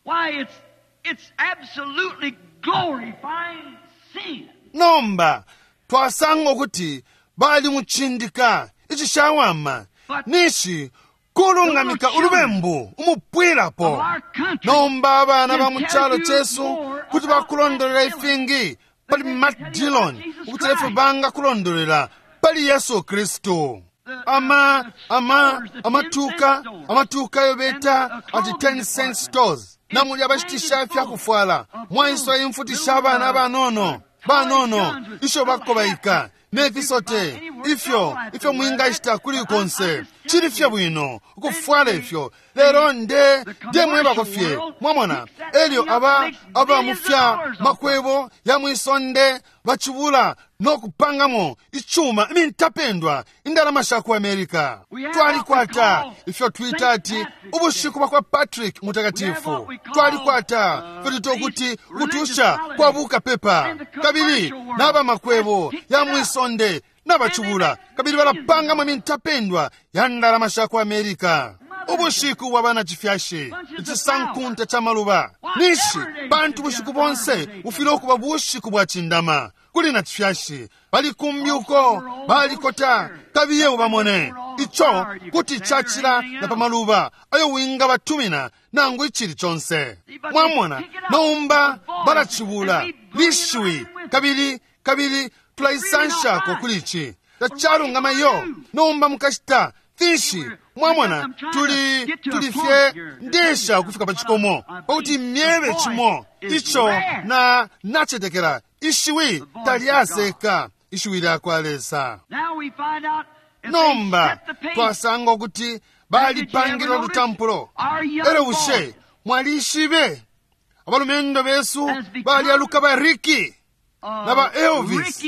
Why, it's It's absolutely glorifying sin. Nomba twasanga ukuti bali muchindika icishawama nishi kulungamika ulubembu umupwilapo. Nomba abana ba mu chalo chesu kuti bakulondolela ifingi pali Matt Dillon ukuti efyo banga kulondolela pali Yesu Kristu. Ama ama amatuka amatuka ayo beta ati ten cent stores, namuli abashitisha ifyakufwala mwaiswa imfuti sha bana banono banono isho bakobaika nefisote ifyo ifyo mwingashita kuli konse. Chili fye bwino ukufwala ifyo, lero nde nde mwebako fye mwamona. Elyo aba aba mufya makwebo ya mwisonde bachibula nokupangamo ichuma imintapendwa indalama sha ku America. Twalikwata ifyo twita ati ubushiku bwa kwa Patrick Mutakatifu, twalikwata ifyo twita ukuti kutusha kwa bukapepa. Kabili n'aba makwebo ya mwisonde n'abachubula kabili balapangamo imintapendwa ya ndalama sha ku America. Ubushiku bwa bana chifyashi icisankunta cha maluba nishi pantu bushiku bonse bufile okuba bushiku bwa chindama kuli na chifyashi. Bali kumbi uko balikota kabiye ubamone ico kuti chachila na pamaluba ayo winga batumina nangu ichili chonse. Mwamona nomba balachibula lishiwi kabili kabili tulaisanshako kuli ici tacalungama yo. Nomba mukashita finshi mwamona tuli tuli fye ndesha ukufika pa chikomo pakuti myebe chimo icho na nachetekela ishiwi talyaseka ishiwi lyakwa Lesa. Nomba twasanga ukuti balipangile olutampulo. Elo bushe mwalishibe abalumendo besu balyaluka ba Ricky na ba Elvis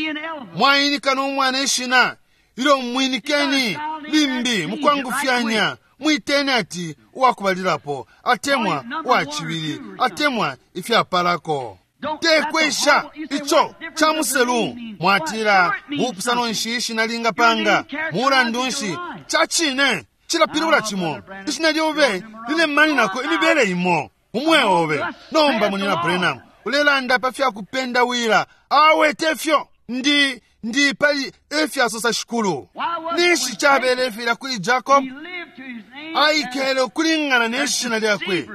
mwainika n'omwana ishina ilyo mwinikeni limbi mukwangufyanya mwiteni ati uwakubalilapo atemwa uwachibili atemwa ifyapalako. Tekwesha ico ca muselu. Mwatila, bupusano nshi ishina lingapanga? Mulandu nshi, ca cine cilapilibula cimo. Ishina lyobe lilemanинako imibele imo umweo obe. Nomba, Munyina Branham, ulelanda pa fya kupendawila. Awe tefyo, ndi ndi pali efyasosa Shikulu. Ninshi cabele filya kuli Jacob? Aikele ukulingana ne shina lyakwe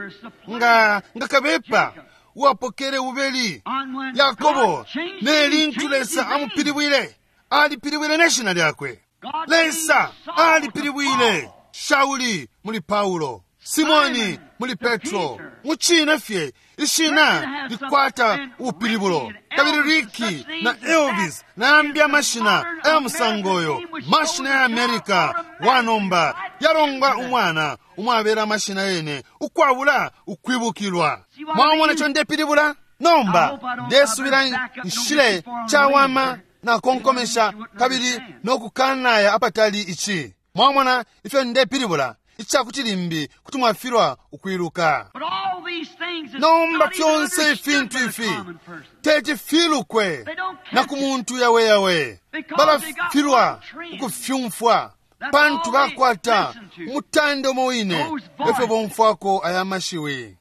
nga nga kabepa uwapokele ubeli Yakobo. Ne lintu Lesa amupilibwile, alipilibwile ne shina lyakwe. Lesa alipilibwile Shauli muli Paulo, Simoni muli Petro. Mucine fye ishina likwata ubupilibulo. Kabili Ricky na Elvis na yambi amashina aya musango oyo, mashina ya America wanomba yalongwa umwana umwabera amashina yene ukwabula ukwibukilwa. Mwamona ico ndepilibula? Nomba ndesubila nshile cawama nakonkomesha kabili nokukanaya apatali ici. Mwamona ifyo ndepilibula? Icakuti limbi kuti mwafilwa ukwiluka. Nomba fyonse ifintu ifi teti filukwe na ku muntu yaweyawe. Balafilwa ukufyumfwa pantu bakwata umutande umo wine efyo bomfwako aya mashiwi.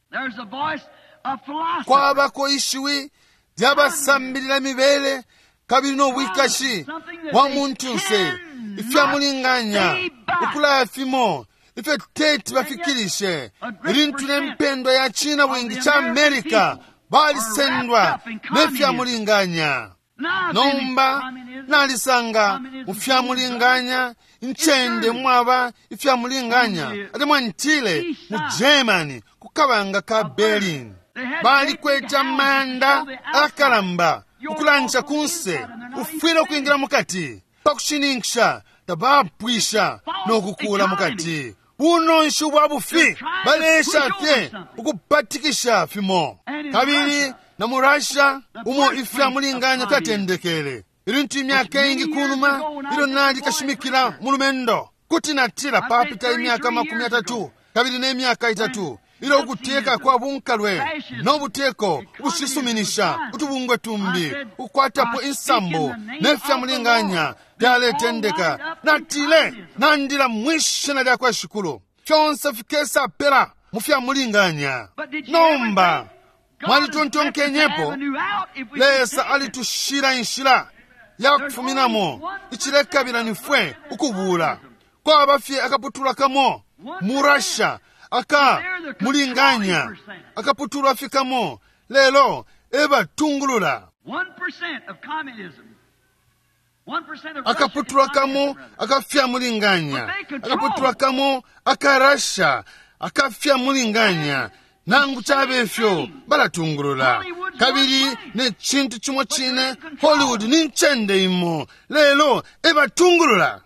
Kwabako ishiwi lyabasambilila mibele kabili n'obwikashi bwa muntunse, ifyamulinganya ukulaya fimo ifyo teti bafikirishe. Ilintu nempendwa ya china bwingi cha Amerika balisendwa nefyamulinganya. Nomba nalisanga mu fyamulinganya incende mwaba ifyamulinganya, atemwa ntile mu Germany ku kabanga ka Berlin balikwete amanda akalamba ukulansha kunse, ufwile ukwingila mukati pakushininkisha tabapwisha nokukula mukati. Bunonshi ubwa bufi, balesha fye ukupatikisha fimo. Kabili na mu Russia umo ifyamulinganya fyatendekele, ilintu imyaka ingi kunuma ilyo nali kashimikila mulumendo, kuti natila papita imyaka makumi atatu kabili n'emyaka itatu ilyo ukuteka kwa bunkalwe n'obuteko ubushisuminisha utubungwe tumbi ukwatapo insambu nefyamulinganya fyaletendeka, natile nandila mwishina lya kwa Shikulu, fyonse fikesa pela mu fyamulinganya. Nomba mwalitontonkenyepo, Lesa alitushila inshila ya kufuminamo. Icilekabila nifwe ukubula kwaba fye akaputula kamo mu Russia aka mulinganya, akaputulwa fye kamo, lelo ebatungulula. Akaputulwa kamo akafyamulinganya, akaputulwa kamo aka Russia akafyamulinganya, nangu cabe fyo balatungulula. Kabili ne cintu cimo cine, Hollywood ni ncende imo, lelo ebatungulula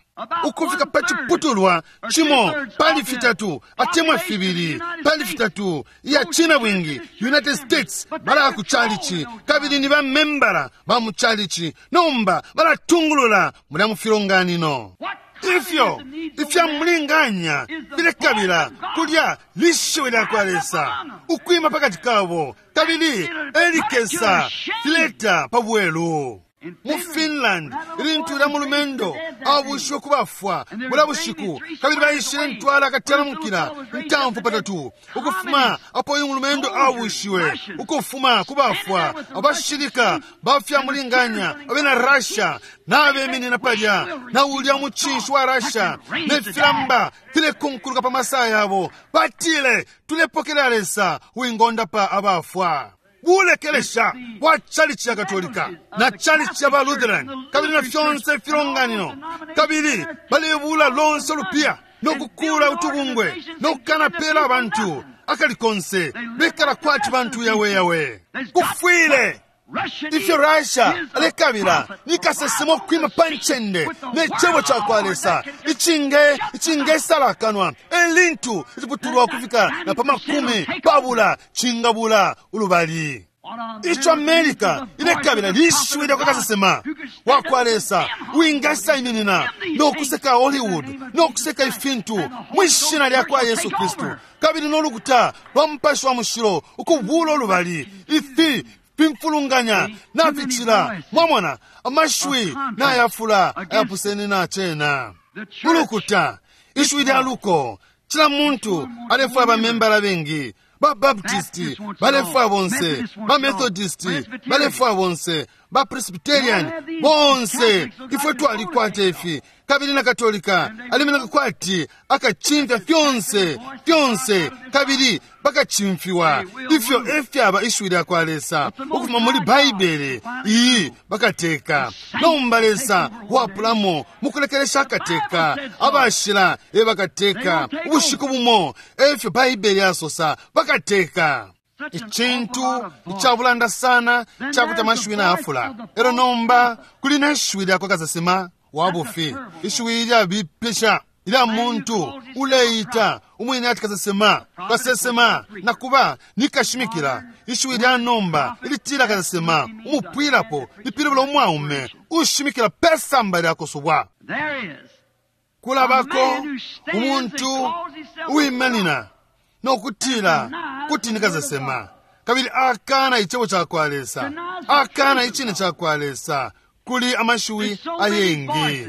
ukufika pa ciputulwa cimo pali fitatu atemwa fibili pali fitatu iya china bwingi United States balaya ku chalichi kabili ni bamembala ba mu chalichi, nomba balatungulula mulya mu filonganino. Ifyo ifyamulinganya filekabila kulya lishiwi lya kwa Lesa ukwima pakati kabo, kabili elikesa fileta pa bwelu. Mu Finland ilintu lya mulumendo abushiwe kubafwa bula bushiku, kabili baishile ntwala akatalamukila ntamfu patatu ukufuma apo uyu mulumendo abushiwe ukufuma kubafwa. Abashilika bafyamulinganya abena Russia nabeminina palya na ulya mucinshi wa Russia ne filamba filekunkuluka pa masaya yabo, batile tulepokelela Lesa wingonda pa abafwa. Bulekelesha bwa chalichi ya Katolika na chalichi ya ba Lutheran kabili na fyonse filonganino, kabili balebula lonse lupia nokukula utubungwe nokukanapela abantu akali konse bekala kwati bantu yawe yawe. Kufwile ifyo Russia alekabila nikasesema okwima pa ncende ne cebo ca kwa Lesa icinge icingesalakanwa elintu iciputulwa ukufika na pa makumi pabula cingabula ulubali. Ico America ilekabila lishiwi lya kwa kasesema wa kwa Lesa wingasaiminina nokuseka Hollywood nokuseka ifintu mwishina lya kwa Yesu Kristu, kabili nolukuta lwa Mupashi wa Mushilo ukubula ulubali. Ifi Fimfulunganya naficila. Mwamona, amashiwi nayafula ayapusene na cena. Ulukuta, ishiwi lya luko, cila muntu alefwaya bamembala bengi. Ba Baptisti balefwaya bonse, ba Methodisti balefwaya bonse, ba Presbyterian bonse. Ifwe twalikwata ifi. Kabili na Katolika alimeneka kwati akacimfya fyonse fyonse, kabili bakacimfiwa. Ifyo efyaba ishiwi lya kwa Lesa ukufuma muli Baibele iyi bakateka. Nomba Lesa wapulamo mukulekelesha akateka, abashila e bakateka. Ubushiku bumo efyo Baibele yasosa bakateka. Icintu icabulanda sana cakuti amashiwi nayafula. Elo nomba kuli ne shiwi lya kwa kasesema wa bufi, ishiwi lyabipisha ilya muntu uleita umwine ati kasesema, kasesema nakuba nikashimikila. Ishiwi lya nomba ilitila kasesema umupwilapo lipilibula umwaume ushimikila pesamba lyakusubwa. Kulabako umuntu uwimanina nokutila kuti nikasesema, kabili akana icebo cakwa Lesa, akana icine cakwa Lesa. Kuli amashiwi ayengi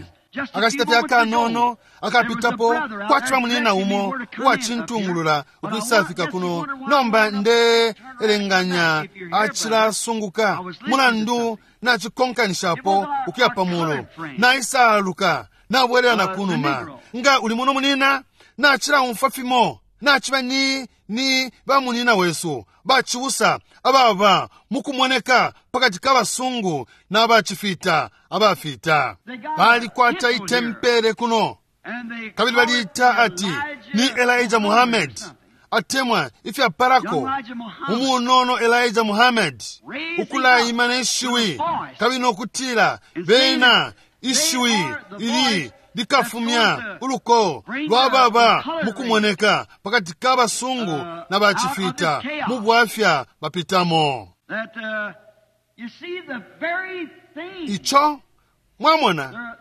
akashita fye akanono akapitapo kwaciba munina umo uwacintungulula ukwisafika kuno. Nomba nde elenganya acilasunguka mulandu nacikonkanishapo ukuya pamulu, naisaluka nabwelela na kunuma. Nga uli muno munina, nacilaumfwa fimo, naciba ni ni bamunina wesu bacibusa ababa mukumoneka pakati ka basungu n'abacifita abafita. Balikwata itempele kuno, kabili baliita ati ni Elijah Muhammad, atemwa ifyaparako umunono Elijah Muhammad, ukulayima neshiwi kabili nokutila bena ishiwi ili likafumya uluko lwababa mukumoneka pakati ka basungu na bacifita mu bwafya bapitamo. Ico mwamona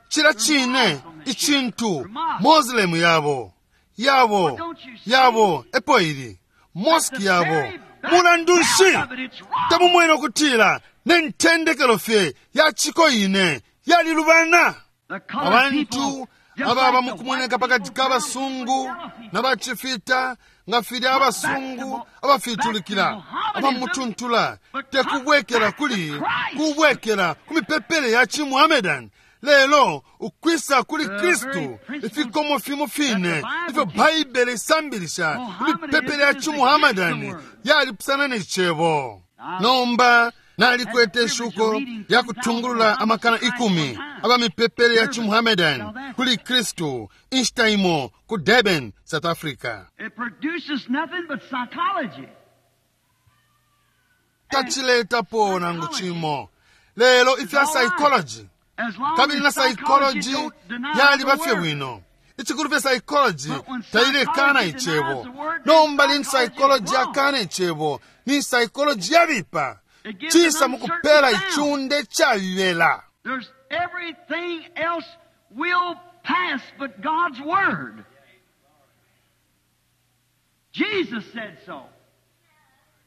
cila cine icintu Moslemu yabo yabo yabo epo ili mosque yabo. Mulandu nshi tamumwene ukutila ne ntendekelo fye ya ciko ine yalilubana? Abantu ababa mukumoneka pakati ka basungu na bacifita nga filya abasungu abafitulikila abamutuntula, tekubwekela kuli kubwekela ku mipepele ya cimuhamedan, lelo ukwisa kuli Kristu. Ifikomo fimo fine ifyo Baibele isambilisha imipepele ya cimuhamedan yalipusana ne cebo. Nomba nalikwete ishuko ya kutungulula amakana ikumi aba mipepele ya cimuhamedan kuli Kristu inshita imo ku Durban, South Africa. Taciletapo nangu cimo lelo ifya psychology, kabili na psychology yaliba fye bwino. Icikulu fye psychology tailekana icebo. Nomba lintu psychology yakana icebo, ni psychology yabipa cisa mukupela ichunde chabibela. There's everything else will pass but God's word. Jesus said so.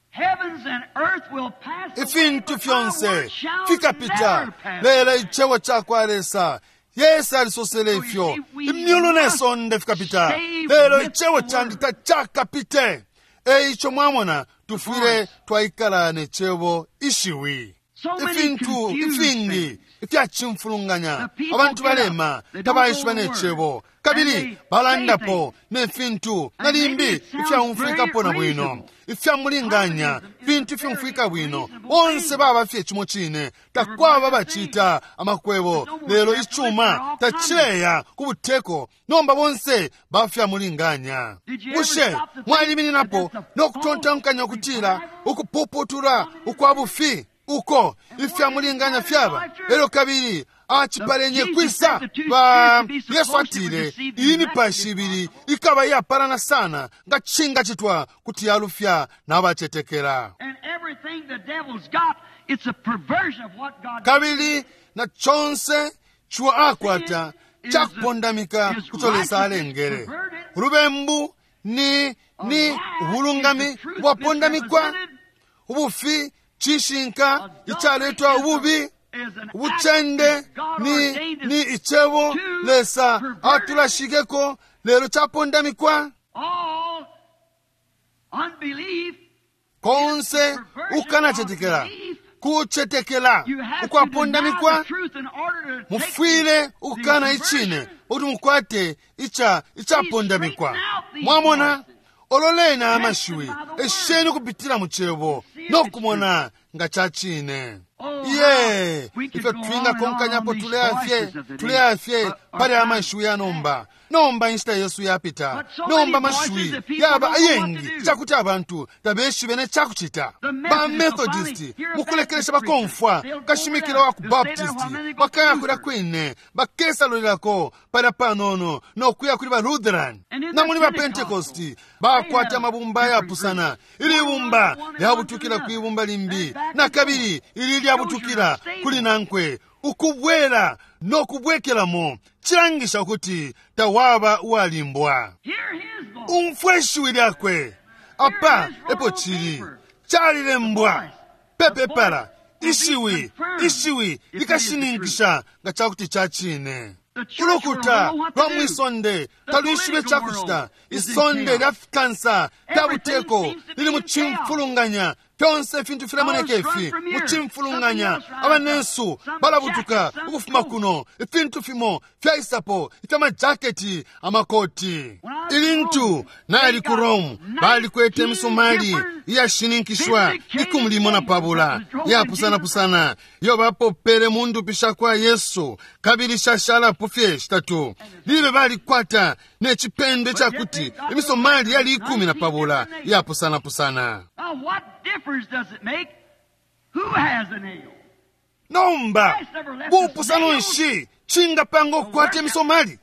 Heavens and earth will pass away, Ifintu but my fyonse word shall fikapita never pass. lelo icebo cakwa Lesa. Yesu alisosele ifyo imyulu ne sonde fikapita, lelo icebo candi tacakapite. Eico mwamona tufwile twaikala ne cebo ishiwi. Ifintu ifingi ifyacimfulunganya abantu balema tabaishiba ne cebo, kabili balandapo ne fintu na limbi ifyaumfwikapo na bwino, ifyamulinganya fintu ifyumfwika bwino. Bonse baba fye cimo cine, takwaba bacita amakwebo, lelo icuma tacileya ku buteko. Nomba bonse bafyamulinganya. Bushe mwalimininapo no kutontonkanya ukutila ukupuputula ukwa bufi uko ifyamulinganya fyaba? Elyo kabili acipalenye kwisa ba Yesu atile iyi mipashi ibili ikaba iyapalana sana nga cinga citwa kuti yalufya n'abacetekela. And everything the devil's got, it's a perversion of what God Kabili na conse ciwa akwata cakupondamika kuco Lesa alengele. Ulubembu ni ni ubulungami bwapondamikwa, ubufi Cishinka icaletwa ububi. Ubucende ni, ni icebo Lesa atulashikeko lelo capondamikwa. Konse ukanacetekela kucetekela ukwapondamikwa, mufwile ukukana icine ukuti mukwate ica icapondamikwa. Mwamona, ololeni amashiwi, esheni ukupitila mu cebo nokumona nga ca cine. Iye, ifyo twingakonkanyapo tuleyafye tuleyafye pali amashiwi ya nomba. Nomba inshita yesu yapita. Nomba amashiwi yaba ayengi cakuti abantu tabeshibe ne cakucita. Ba Methodist mukulekelesha bakomfwa kashimikila wa ku Baptist bakaya kulya kwine, bakesalulilako palya panono nokuya kuli ba Lutheran. Na muli ba Pentecost bakwata amabumba ayapusana. Ili bumba lyabutukila kwi bumba limbi, na kabili ili lyabutukila kuli nankwe, ukubwela nokubwekelamo. Cilangisha ukuti tawaba uwalimbwa. Umfwe ishiwi lyakwe. Apa epo cili calilembwa pepepala. Ishiwi ishiwi likashininkisha nga cakuti ca cine. Ulukuta lwa mwisonde talwishibe cakucita. Isonde lya fikansa lya buteko lili mu cimfulunganya. Fyonse ifintu filemoneka ifi mu cimfulunganya. Abanensu balabutuka ukufuma kuno. Ifintu fimo fyaisapo ifyamajaketi, amakoti. Ilintu nali ku Rome, balikwete imisomali iyashininkishwa ikumi limo na pabula iyapusanapusana iyo bapopele mu ndupi sha kwa Yesu, kabili shashalapo fye shitatu. Libe balikwata ne cipendo cakuti imisomali yali ikumi na pabula iyapusanapusana. Nomba bupusano nshi cingapanga okukwata imisomali?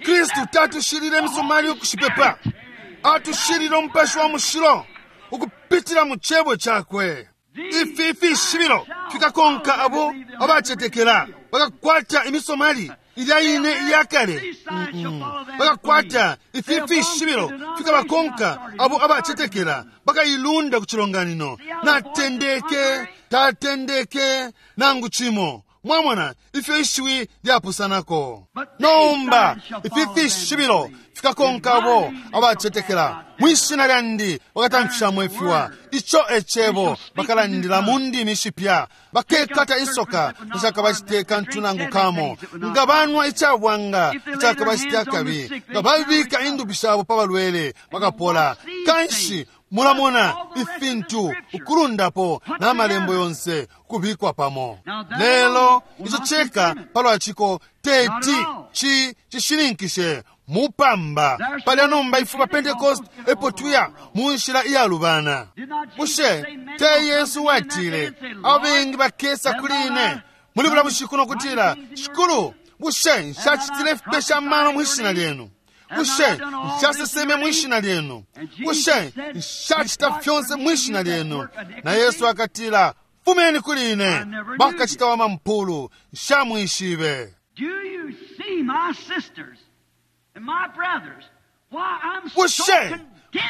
Kristu tatushilile imisomali ukushipepa, atushilile umupashi wa mushilo ukupitila mu cebo cakwe. Ifi ifishibilo fikakonka abo abacetekela. Bakakwata imisomali ilya ine iyakale. Bakakwata ifi ifishibilo fikabakonka abo abacetekela. Bakailunda ku cilonganino. Natendeke tatendeke nangu cimo. Mwamona ifyo ishiwi lyapusanako. Nomba ifi fishibilo fikakonka abo abacetekela. Mwishina lyandi bakatamfishamo ifiwa. Ico ecebo bakalandila mu ndimi ishipya. Bakekata insoka icakabacite kantu nangu kamo. Nga banwa icabwanga icakabacite akabi. Nga babika indupi shabo pa balwele bakapola. Kanshi mulamona ifintu ukulundapo n'amalembo yonse kubikwa pamo. Lelo ico ceka palwaciko teti ci cishininkishe mupamba palya. Nomba ife ba Pentecost epo tuya mu nshila iyalubana. Bushe te Yesu watile abengi bakesa kuli ine muli bula bushiku nokutila, Shikulu, bushe nshacitile ifipesha amano mwishina lyenu? Bushe nshaseseme mwishina lyenu? Bushe nshacita fyonse mwishina lyenu? Na Yesu akatila, fumeni kuli ine, bakacita wa mampulu, nshamwishibe. Bushe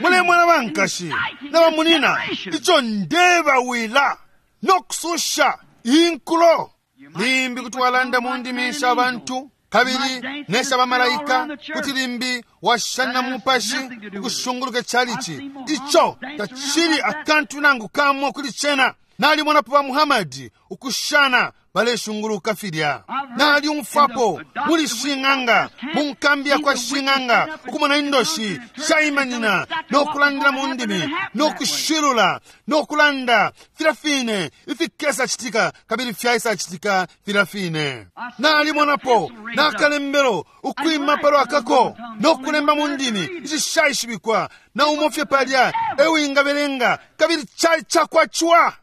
mulemona bankashi na bamunina ico ndebawila nokususha inkulo? Limbi kuti walanda mu ndimi sha bantu kabili nesha bamalaika, kuti limbi washana mupashi ukushunguluka chalichi. Ico tacili akantu nangu kamo kuli cena. Nalimonapo ba Muhammadi ukushana baleshunguluka filya. Nalyumfwapo muli shing'anga, mu nkambi ya kwa shing'anga, ukumona indoshi shaimanina nokulandila mu ndimi nokushilula nokulanda filya fine ifikesa citika kabili fyaisa citika filya fine. Nalimonapo nakalembelo ukwima palwakako nokulemba mu ndimi icishaishibikwa na umofye palya ewingabelenga kabili cali cakwacwa.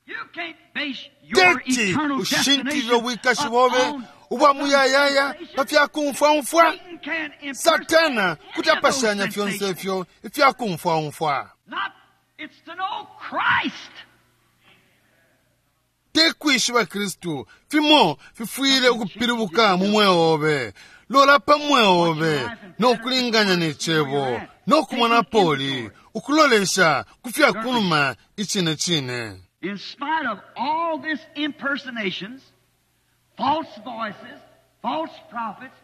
Teti ushintilile ubwikashi bobe ubwa muyayaya pa fyakumfwaumfwa. Satana kuti apashanya fyonse ifyo ifyakumfwaumfwa. Te kwishiba Kristu fimo fifwile ukupilibuka mu mweo obe. Lola pa mweo obe nokulinganya ne cebo nokumona poli ukulolesha ku fyakunuma icine cine. In spite of all this impersonations, false voices, false prophets,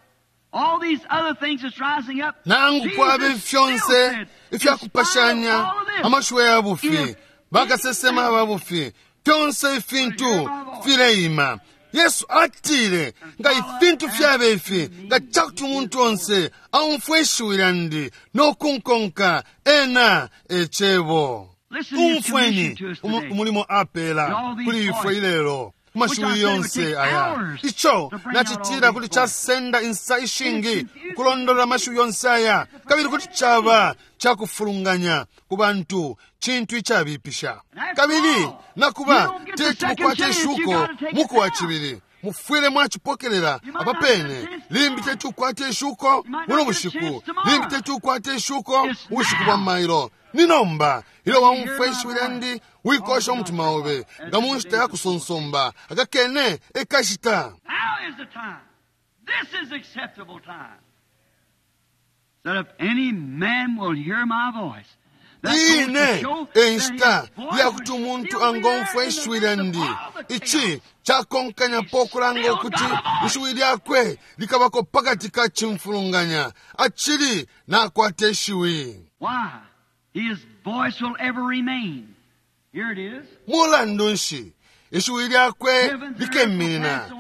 all these other things that's rising up, Nangu kwabe Jesus still fyonse said, in spite of ifyakupashanya all of this, amashiwi ya bufi if bakasesema ba bufi fyonse ifintu fileima. Yesu atile nga ifintu fyabe ifi nga cakuti umuntu onse aumfwe ishiwi lyandi nokunkonka ena ecebo. Listen to his Umfweni commission to us umu- today. umulimo apeela With all these kuli ifwe voices, ilelo ku which I mashiwi said would yonse take aya. hours Ico to bring out all nacitila these kuti voices. casenda insa ishingi It's confusing. ukulondolola amashiwi yonse aya kabili kuti caba cakufulunganya ku bantu cintu icabipisha. Kabili nakuba teti mukwate ishuko muku wa cibili mufwile mwacipokelela apapene. Limbi teti ukwate ishuko buno bushiku, limbi teti ukwate ishuko ubushiku bwa mailo. Ni nomba ilyo waumfwa ishiwi lyandi wikosha umutima obe nga mu nshita ya kusonsomba akakene ekashita. Now is the time. This is acceptable time. That if any man will hear my voice, that goes to Ine show that his enshita voice yakuti will umuntu still be there angomfwa in the ishiwi midst of lyandi. all the Ici chaos. cakonkanyapo okulanga ukuti ishiwi lyakwe likabako pakati ka cimfulunganya acili nakwata ishiwi. Why? His voice will ever remain. Here it is. Mulandu nshi ishiwi lyakwe likeminina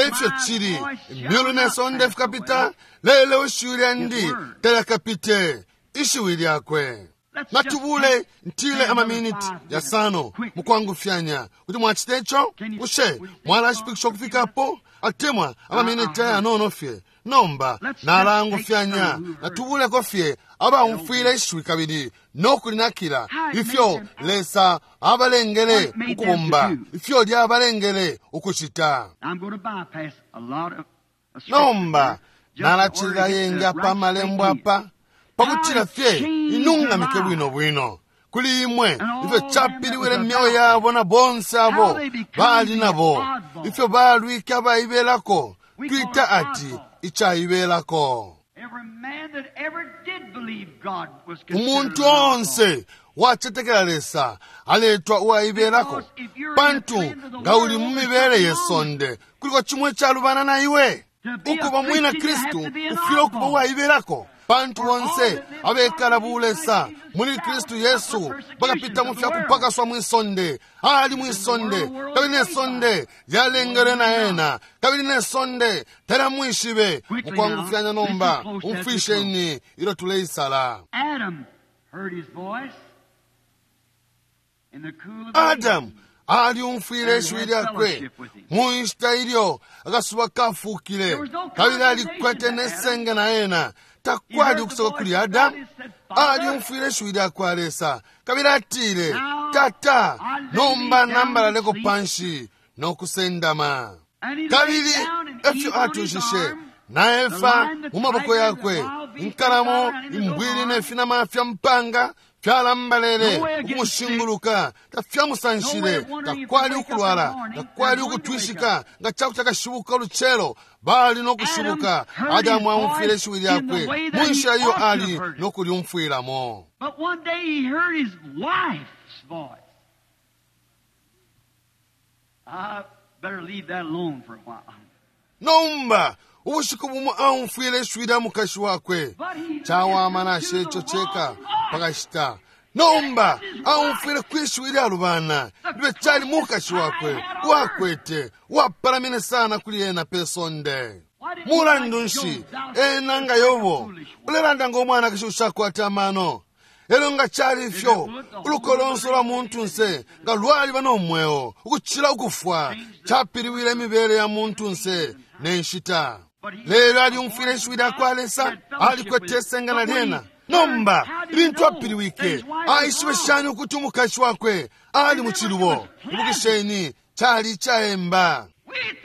efyo cili imyulu ne sonde fikapita lelo ishiwi lyandi talyakapite. Ishiwi lyakwe. Natubule ntile amaminiti yasano mukwangufyanya kuti mwacita ico. Bushe mwalashipikisha ukufikapo atemwa amaminiti ayanono fye? Nomba nalangufyanya, natubuleko fye abaumfwile ishiwi kabili nokulinakila ifyo Lesa abalengele ukubomba, ifyo lyabalengele ukucita. I'm going to bypass a lot of of scripture Nomba here just in order nalacilila to get yenga the pa right malembo thing in. apa pakutila fye inungamike bwino bwino kuli imwe ifyo capiliwile myeo yabo na bonse abo bali nabo ifyo balwike abaibelako twita ati icaibelako. Every man that ever did believe God was considered Umuntu an oddball. onse wacetekela Lesa aletwa uwaibelako, pantu nga uli mu mibele ye sonde kuliko cimwe calubana na iwe. Ukuba mwina Kristu ufwile ukuba uwaibelako, pantu bonse abekala bulesa muli Kristu Yesu bakapita mu fyakupakaswa mwisonde. Ali mwisonde kabili ne sonde lyalengele na ena kabili ne sonde talyamwishibe. Mukwangufyanya nomba umfwisheni ilyo tuleisala. Adam heard his voice in the cool of the Adamu aliumfwile ishiwi lyakwe mu nshita ilyo akasuba kafukile kabili alikwete nesenge na ena. Takwali ukusoka kuli Adamu. Aliumfwile ishiwi lyakwa Lesa kabili atile, Tata, nomba nambalaleko panshi nokusendama. And he Kabili laid down and Eve efyo on his atushishe arm, na Efa mu maboko yakwe inkalamo imbwili ne finama fya mpanga fyalambalele ukumushinguluka tafyamusanshile. Takwali ukulwala, takwali ukutwishika nga cakuti akashibuka ulucelo bali nokushibuka. Adamu aumfwile ishiwi lyakwe mu nshila iyo ali nokulyumfwilamo. But one day he heard his wife's voice. I better leave that alone for a while. Nomba ubushiku bumo aumfwile ishiwi lya mukashi wakwe. Cawama nashe ico ceka pakashita. Nomba aumfwile kwishiwi lya lubana libe cali mukashi wakwe uwakwete uwapalamine sana kuli ena pe sonde. Mulandu nshi ena nga Yobo ulelanda nga umwanakashi ushakwata amano? Elyo nga cali ifyo uluko lonse lwa muntunse nga lwaliba nomweo ukucila ukufwa capiliwile imibele ya muntunse ne nshita. Lelo aliumfwile ishiwi lya kwa Lesa, alikwete isenga na lyena. Nomba ilintu apiliwike aishibe shani ukuti umukashi wakwe ali mu cilubo? Ibukisheni, cali icaemba.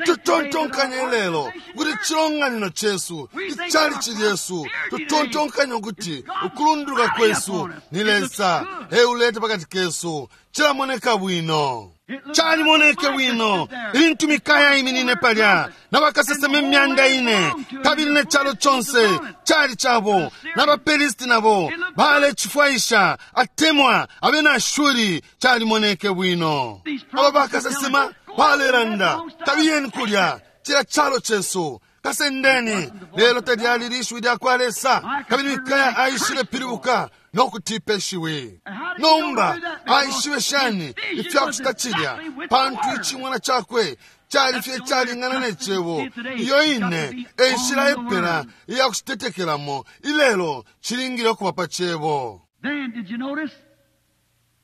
Tutontonkanye lelo kuti chilonganino chesu ichalichi lyesu, tutontonkanye ukuti ukulunduluka kwesu ni Lesa euleta pakati kesu chilamoneka bwino. Calimoneke bwino ilintu Mikaya iminine palya na bakasesema imyanda ine, kabili ne calo conse cali cabo, na baPelisti nabo balecifwaisha atemwa abena Ashuri. Calimoneke bwino. Aba bakasesema balelanda, kabiyeni kulya cila calo cesu, kasendeni. Lelo talyali lishiwi lya kwa Lesa. Kabili Mikaya aishile pilibuka no kutipa ishiwi. Nomba aishibe shani ifya kucita cilya? Pantu icimwana cakwe cali fye calingana ne cebo. Iyo ine e nshila epela iya kucitetekelamo ilelo, cilingile ukuba pa cebo. Then, did you notice?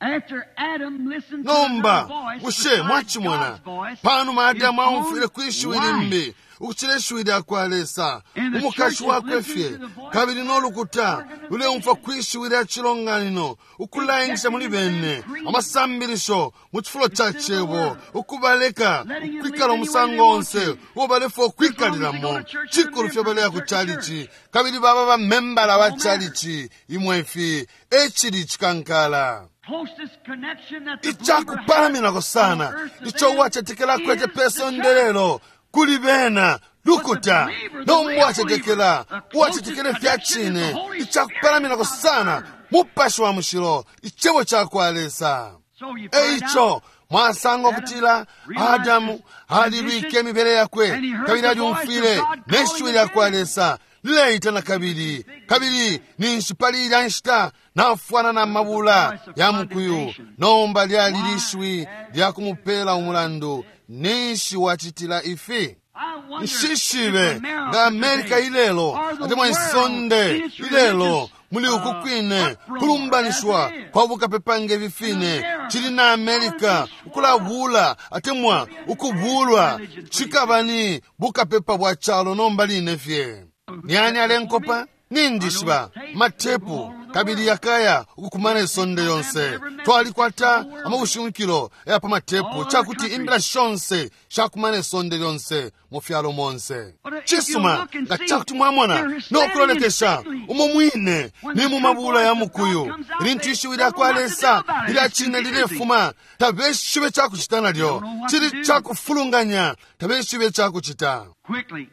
After Adam listened to Nomba another voice bushe besides mwacimona God's voice, panuma Adamu his own aumfwile kwi shiwi wife. limbi ukucila ishiwi lya kwa Lesa, And the umukashi church is wakwe listening fye, to the voice kabili n'olukuta luleumfwa kwi shiwi lya cilonganino ukulaingisha muli bene amasambilisho mu cifulo ca cebo, ukubaleka ukwikala umusango onse uo balefwa ukwikalilamo, cikulu fye baleya ku calici kabili baba bamembala ba calici. Imwe ifi e cili cikankala. Closest connection that the believer Icakupalaminako has sana on earth today ico uwacetekela akwete is pe the sonde church. lelo kuli bena lukuta. Nomba uwacetekela, uwacetekela ifya cine, icakupalaminako sana Mupashi wa Mushilo, icebo ca kwa Lesa. So you find Eico out mwasanga ukutila Adamu alilwike imibele yakwe, kabili alyumfwile ne shiwi lya kwa Lesa lileita na kabili. Kabili ninshi pali ilya nshita nafwana na mabula ya mukuyu. Nomba lyali lishiwi lya kumupela umulandu: ninshi wacitila ifi? I wonder Nshishibe if America nga Amerika today ilelo or the atemwa world isonde in its ilelo religious, muli uku uh, kwine uproar kulumbanishiwa as it is. kwa bukapepa nge fine cili na Amerika ukulabula atemwa ukubulwa, cikaba ni bukapepa bwa calo nomba line fye. Ni ani alenkopa? Nindishiba matepu kabili yakaya ukukumana isonde yonse. Twalikwata amabushimikilo ya pa matepu cakuti imbila shonse shakumana isonde lyonse mu fyalo monse. Cisuma, nga cakuti mwamona no kulolekesha umo mwine ni mu mabula ya mukuyu, ilintu ishiwi lya kwa Lesa lilya cine lilefuma, tabeshibe cakucita nalyo. Cili cakufulunganya, tabeshibe cakucita. Quickly.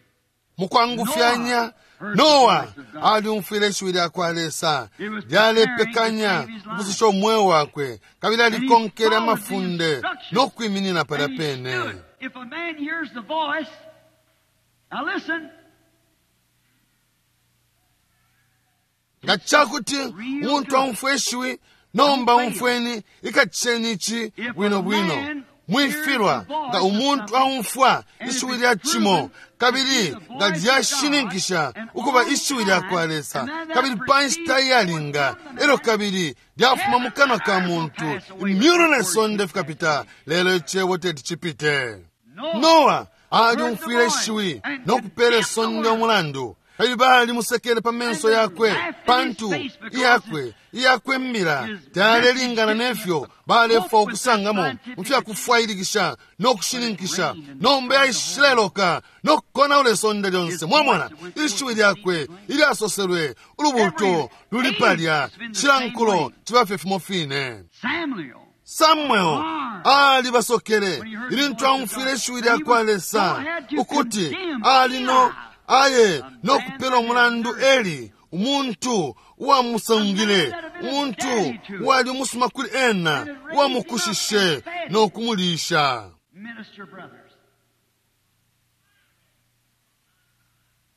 Mukwangufyanya Noa alyumfwile ishiwi lya kwa Lesa lyalepekanya ukususha umweo wakwe, kabili alikonkele amafunde no kwiminina palya And he pene. stood. If a man hears the voice, now listen, Nga cakuti umuntu aumfwa ishiwi, nomba umfweni, ikacisheni ici bwino bwino, mwifilwa. Nga umuntu aumfwa ishiwi lya cimo kabili nga lyashininkisha ukuba ishiwi lya kwa Lesa, kabili pa nshita iyalinga elo kabili lyafuma mu kanwa ka muntu, imyulu ne sonde fikapita, lelo icebo teti cipite. Noa alyumfwile ishiwi no kupela isonde umulandu, kabili balimusekele pa menso yakwe, pantu iyakwe iyakwe mbila tayalelingana nefyo balefwa ukusangamo mu fyakufwailikisha no kushininkisha. Nomba yaishileloka no kukonaula isonde lyonse. Mwamona, ishiwi lyakwe ilyasoselwe, ulubuuto luli palya. Cila nkulo ciba fye fimo fine. Samuel. Samuel alibasokele ilintu aumfwile ishiwi lya kwa Lesa ukuti ali no aye no kupela umulandu Eli, umuntu uwamusangile, umuntu uwali umusuma kuli ena, uwamukushishe no kumulisha. Minister brothers.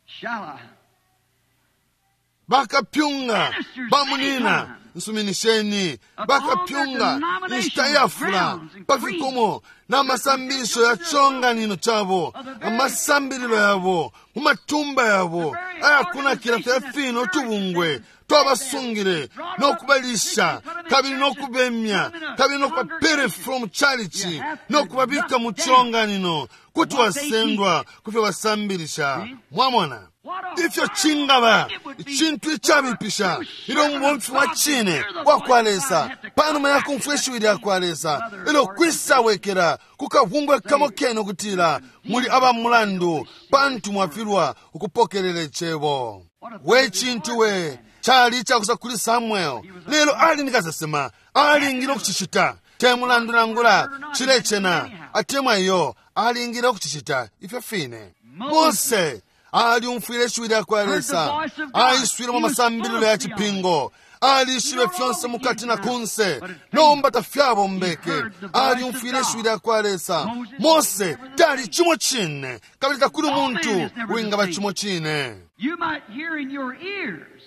Shall I? Bakapyunga bamunina, nsuminisheni, bakapyunga inshita iyafula pafikomo n'amasambilisho ya chonganino chabo, amasambililo yabo mu matumba yabo ayakunakila fya fino utubungwe twabasungile nokubalisha kabili nokubemya kabili nokubapere from chalichi nokubabika mu chilonganino, kuti wasendwa kufyo basambilisha. Mwamona ifyo cingaba icintu icabipisha ilyo umubomfi wa cine wa kwa Lesa, panuma ya kumfwa ishiwi lya kwa Lesa, ilyo kwisawekela kukabungwe kamo kene ukutila muli aba mulandu pantu mwafilwa ukupokelela icebo. We cintu we cali icakusa kuli Samuel, lelo ali ni kasesema, alingile ukucicita. Te mulandu nangula chilecena atemwa iyo alingile ukucicita ifyo fine. Mose aliumfwile ishiwi lya kwa Lesa, aiswile mu masambililo ya cipingo, alishibe fyonse mukati na kunse, nomba tafyabombeke. Aliumfwile ishiwi lya kwa Lesa. Mose tali chimo chine, kabili takuli umuntu wingaba chimo chine. You might hear in your ears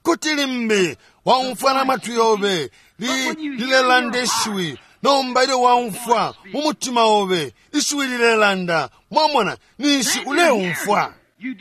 Kuti limbi waumfwa na matwi yobe li lilelanda ishiwi, nomba ilyo waumfwa mu mutima obe ishiwi lilelanda, mwamona ninshi uleumfwa.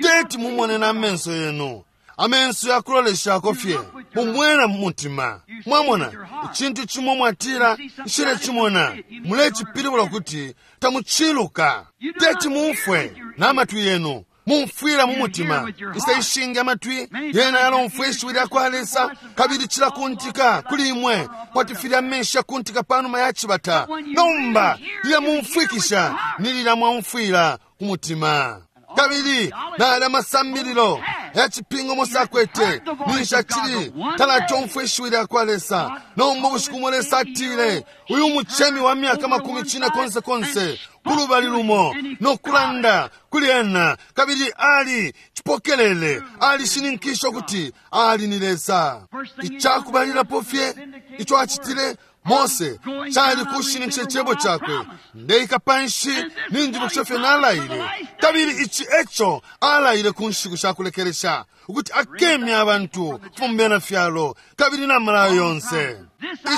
Teti mumone na amenso yenu, amenso yakuloleshako fye mumwena mu mutima. Mwamona icintu chimo mwatila nshile chimona, mulecipilibula kuti tamuchiluka. Teti mumfwe na matwi yenu, mumfwila mu mutima. Isa ishingi amatwi yena yalomfwa ishiwi lya kwa Lesa, kabili cilakuntika kuli imwe kwati filya amenshi yakuntika panuma ya cibata. Nomba lilya mumfwikisha ni lilya mwaumfwila ku mutima. Kabili nali amasambililo ya cipingo Mose akwete ninshi acili talatomfwa ishiwi lya kwa Lesa. Nomba ubushiku bumo Lesa atile uyu mucemi wa myaka makumi cine konse konse kulubali lumo nokulanda kuli ena, kabili ali cipokelele, alishininkisha ukuti ali ni Lesa. Icakubalilapo fye ico acitile Mose cali kushininkisha icebo cakwe, ndeika panshi ninjibukisha fye nalaile. Kabili ici eco alaile ku nshiku shakulekelesha, ukuti akemya abantu kufuma fyalo kabili na malayo yonse.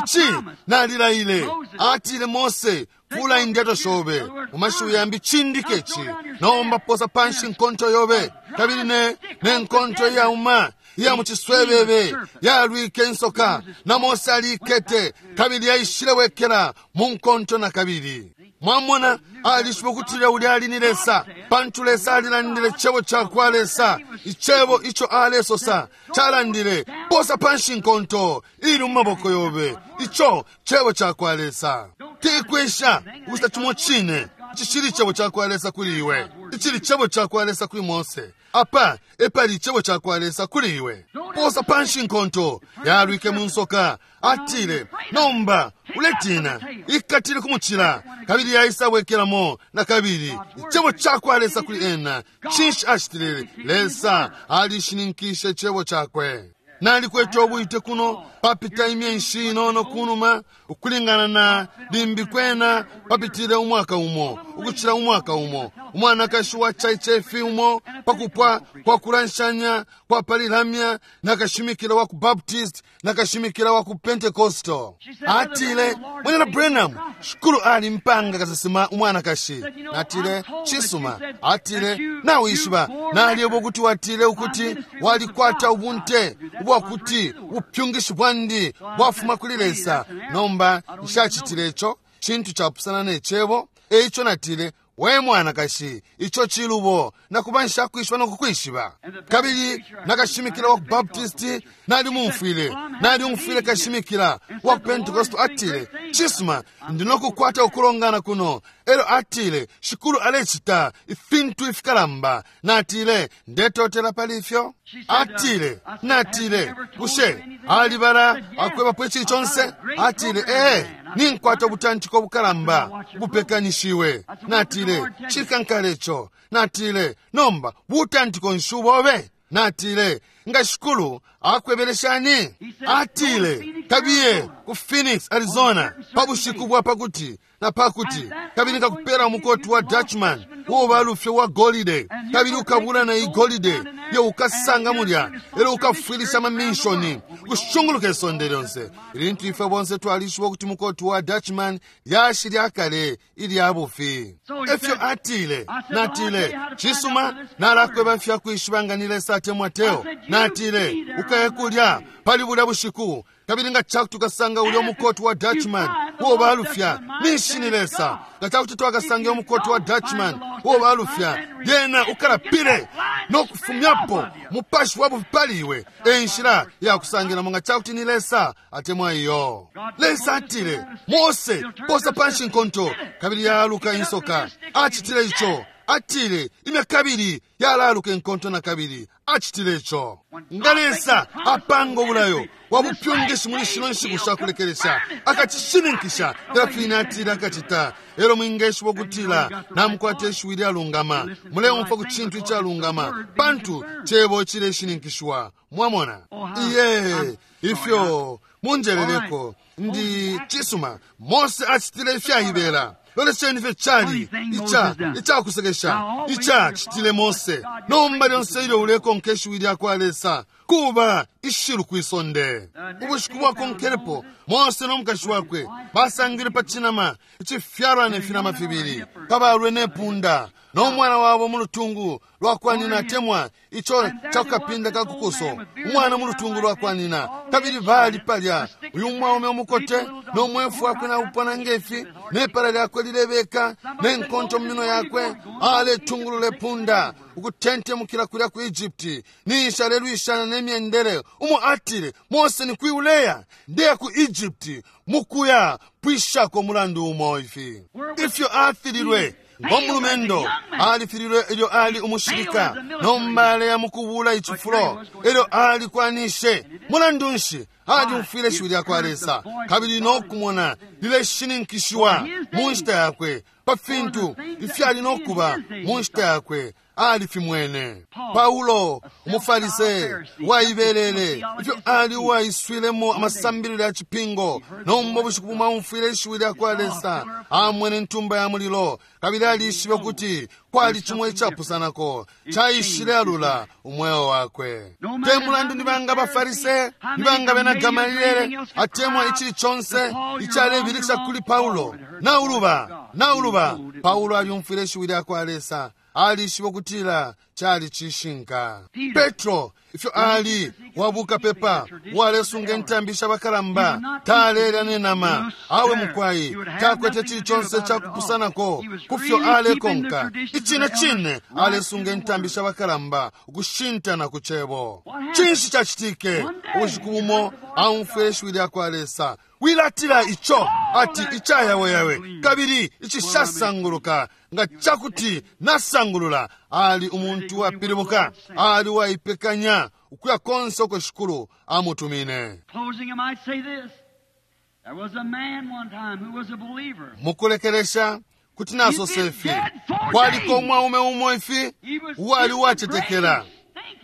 Ici nalilaile, atile Mose, fula indyato shobe mu mashiwi yambi chindike ici, nomba posa panshi nkonto yobe, kabili ne nenkonto iyauma iya muciswebebe yalwike insoka, na Mose alikete kabili yaishile wekela mu nkonto na kabili. Mwamona alishiba ukutila ulya ali ni Lesa, pantu Lesa alilandile icebo cakwa Lesa. Icebo ico alesosa calandile posa panshi nkonto ili mu maboko yobe, ico cebo cakwa Lesa. Tikwisha ukucita chimo chine icishili icebo cakwa Lesa kuli iwe, icili cebo cakwa Lesa kuli Mose. Apa epali icebo cakwa Lesa kuli iwe. Posa panshi nkonto yalwike mu nsoka, atile nomba uletina, ikatile kumucila, kabili yaisabwekelamo na kabili. Icebo cakwa Lesa kuli ena. Cinshi acitile? Lesa alishininkishe icebo cakwe. Nalikwete ubwite kuno papita imyenshi inono kunuma, ukulingana na limbi kwena papitile umwaka umo ukucila umwaka umo. Umwanakashi wa chaichefi umo pakupwa kwa kulanshanya kwa palilamya na kashimikila wa ku Baptist na kashimikila wa ku Pentecostal. Atile, Mwenena Branham, shukulu ali mpanga kasesema umwanakashi. Natile, chisuma. Atile, nawishiba naliyebo kuti watile ukuti walikwata ubunte ubwakuti ubupyungishi bwandi bwafuma kuli Lesa. Nomba nshacitile ico chintu chapusana ne cebo. Eico natile, we mwanakashi, ico chilubo, nakuba nshakwishiba nokukwishiba. Kabili nakashimikila wa ku Baptisti nalimumfwile, nalimumfwile kashimikila wa ku Pentecost atile, chisuma, ndinokukwata ukulongana kuno. Elo atile, shikulu alecita ifintu ifikalamba. Natile, ndetotela pali ifyo. Atile, natile, bushe alibala akwebapo ichili chonse? Atile, ee, ninkwata ubutantiko bukalamba bupekanishiwe. Natile, chikankale ico. Natile, nomba butantiko nshi ubobe? Natile, nga shikulu akwebeleshani? Atile, kabiye ku Phoenix, Arizona, pa bushiku bwa pakuti na pakuti, kabili nkakupela umukoti wa Dutchman uwo balufye wa golide, kabili ukabula na igolide yo ukasanga mulya, elo ukafwilisha amaminshoni kushunguluka isonde lyonse. Ilintu ife bonse twalishiba ukuti mukoti wa Dutchman yashi lyakale ilya bufi. Efyo atile. Natile, chisuma, nalakweba fyakwishiba nga ni Lesa atemwa teo. Natile, ukaye kulya pali bulya bushiku, kabili nga chakuti ukasanga ulya umukoti wa Dutchman uwo balufya, ninshi ni Lesa. Nga chakuti twakasanga umukoti wa Dutchman uwo balufya, yena ukalapile nokufumyapo mupashi wa bufi pali iwe. Enshila yakusangilamo nga chakuti ni Lesa atemwa iyo. Lesa atile, Mose posa panshi nkonto, kabili yaluka insoka. Acitile ico, Atile imya kabili yalaluka enkonto na kabili. Acitile ico. Nga Lesa apanga obulayo wabupyungishi muli shino nshiku shakulekelesha, akacishininkisha filya atile akacita. Elo mwingeshiba ukutila namukwata ishiwi lyalungama, muleumfwa ku cintu icalungama, pantu cebo cileshininkishiwa. Mwamona? Iye, ifyo munjeleleko ndi cisuma. Mose acitile ifyaibela. Lolesheni ifyo cali ica icakusekesha icacitile Mose. Nomba lyonse ilyo ulekonka ishiwi lyakwa Lesa kuba ishilu kwisonde. Ubushiku bwakonkelepo Mose n'omukashi wakwe basangile pa cinama icifyalwa ne finama fibili, kabalwe ne punda n'omwana wabo mu lutungu lwa kwa nyina, atemwa ico cakukapinda ka kukuso, umwana mu lutungu lwa kwa nyina. Kabili bali palya uyu mwaume umukote n'omwefu wakwe naupona ngefi, nepala lyakwe lilebeka nenkonto mu mino yakwe, aletungulula epunda ukutentemukila kulya ku Egypti. Ninshi alelwishana nemyendele umo atile, Mose ni kwiuleya ndeya ku Egypti mukuya pwishako umulandu umo ifi. Ifyo afililwe ngomulumendo, alifililwe ilyo ali umushilika, nomba aleya mukubula icifulo ilyo alikwanishe. Mulandu nshi? Alyumfwile ishiwi lyakwa Lesa kabili nokumona lileshininkishiwa mu nshita yakwe pa fintu ifyali nokuba mu nshita yakwe. Alifimwene. Paulo umufarise waibelele ifyo ali uwaiswilemo amasambililo ya cipingo. Nomba ubushiku bumo aumfwile ishiwi lyakwa Lesa, amwene ntumba ya mulilo, kabili alishibe ukuti kwali cimo icapusanako caishile alula umweo wakwe. Te mulandu ni banga abafarise, ni banga bena Gamaliele, atemwa icili conse icalebilikisha kuli Paulo, nauluba nauluba. Paulo alyumfwile ishiwi lyakwa Lesa, alishiba ukutila cali cishinka. Petro ifyo ali wabuka pepa walesunga intambi shabakalamba, talelya nenama, awe mukwai takwete cili conse cakupusanako kufyo alekonka. Icine cine alesunga intambi shabakalamba ukushintana ku cebo. Cinshi cacitike? Ubushiku bumo aumfwile ishiwi lyakwa Lesa, wilatila ico ati icayaweyawe kabili icishasanguluka, nga cakuti nasangulula. Ali umuntu wapilibuka, ali waipekanya ukuya konse uko Shikulu amutumine. Mukulekelesha kuti nasosa ifi, kwaliko umwaume umo ifi uwali uwacetekela,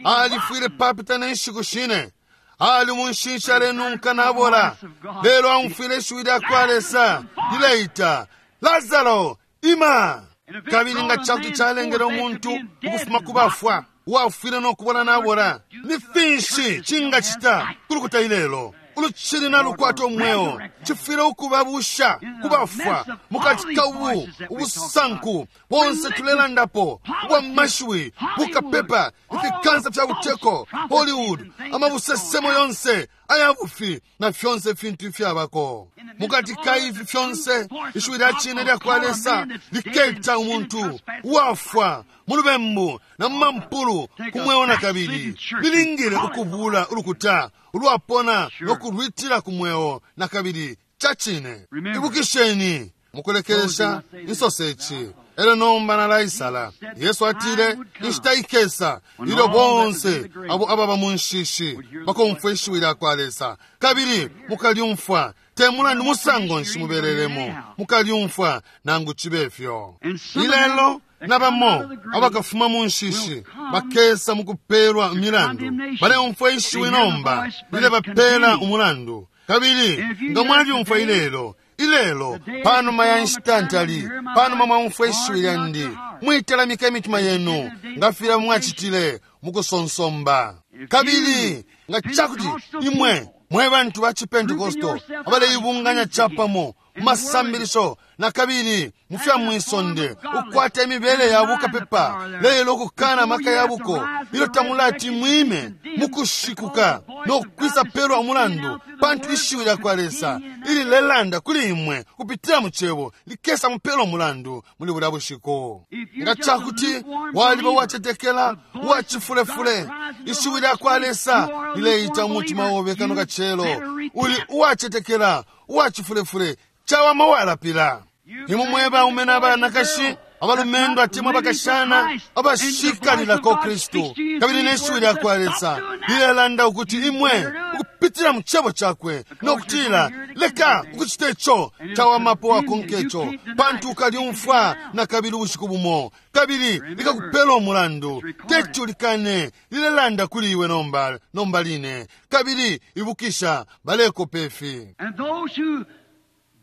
alifwile papita ne nshiku shine, ali munshinshi alenunka nabola. Lelo aumfwile ishiwi lyakwa Lesa lileita, Lazaro ima! Kabili nga cakuti calengele umuntu ukufuma ku bafwa uwafwile nokubona nabola, ni finshi cingacita kulukuta ilelo ulucili nalukwata umweo? Cifwile ukubabusha kubafwa mukati ka ubu ubusanku bonse tulelandapo ubwa mashiwi, bukapepa, ifikansa fya buteko, Hollywood, amabusesemo yonse aya bufi na fyonse fintu ifyabako. Mukati ka ifi fyonse ishiwi lya cine lyakwa Lesa liketa umuntu uwafwa mu lubembu na mu mampulu ku mweo na kabili. Lilingile ukubula ulukuta ulwapona nokulwitila ku mweo na kabili. Ca cine. Ibukisheni mukulekelesha insose ici. Elo nomba nalaisala. Yesu atile inshita ikesa ilyo bonse abo ababa mu nshishi bakomfwa ishiwi lyakwa Lesa, kabili mukalyumfwa. Te mulandu musango nshi mubelelemo, mukalyumfwa nangu cibe fyo. Ilelo nabamo abakafuma mu nshishi bakesa mukupelwa imilandu. Baleumfwa ishiwi nomba lilebapela umulandu. Kabili nga mwalyumfwa ilelo, ilelo panuma ya nshita ntali, panuma mwaumfwa ishiwi lyandi, mwitalamika imitima yenu nga filya mwacitile mukusonsomba. Kabili nga cakuti imwe mwe bantu ba Cipentekosto abaleibunganya capamo mu masambilisho na kabili mu fya mwisonde, ukwata imibele ya bukapepa lelo ukukana amaka ya buko, ilyo tamulati mwime mukushikuka no kwisa pelwa umulandu, pantu ishiwi lyakwa Lesa ililelanda kuli imwe kupitila mu cebo likesa mupelwa umulandu muli bulya bushiku. Nga cakuti waliba uwacetekela uwacifulefule, ishiwi lyakwa Lesa lileita umutima obe kano kacelo, uli uwacetekela uwacifulefule, cawama walapila. Imwe mwe baume na banakashi Abalumendo atemwa abakashana abashikalilako Kristu, kabili neshiwi lya kwa Lesa lilelanda ukuti imwe ukupitila mu cebo cakwe nokutila leka ukucita ico cawamapo wakonka ico, pantu ukalyumfwa na kabili ubushiku bumo, kabili likakupela umulandu. Teti ulikane, lilelanda kuli iwe nomba nomba line. Kabili ibukisha, balekopa ifi. And those who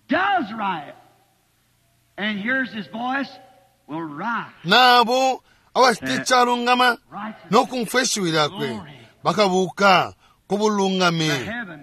does right and hears his voice will rise. Nabo abacita icalungama nokumfwa ishiwi lyakwe bakabuka ku bulungami,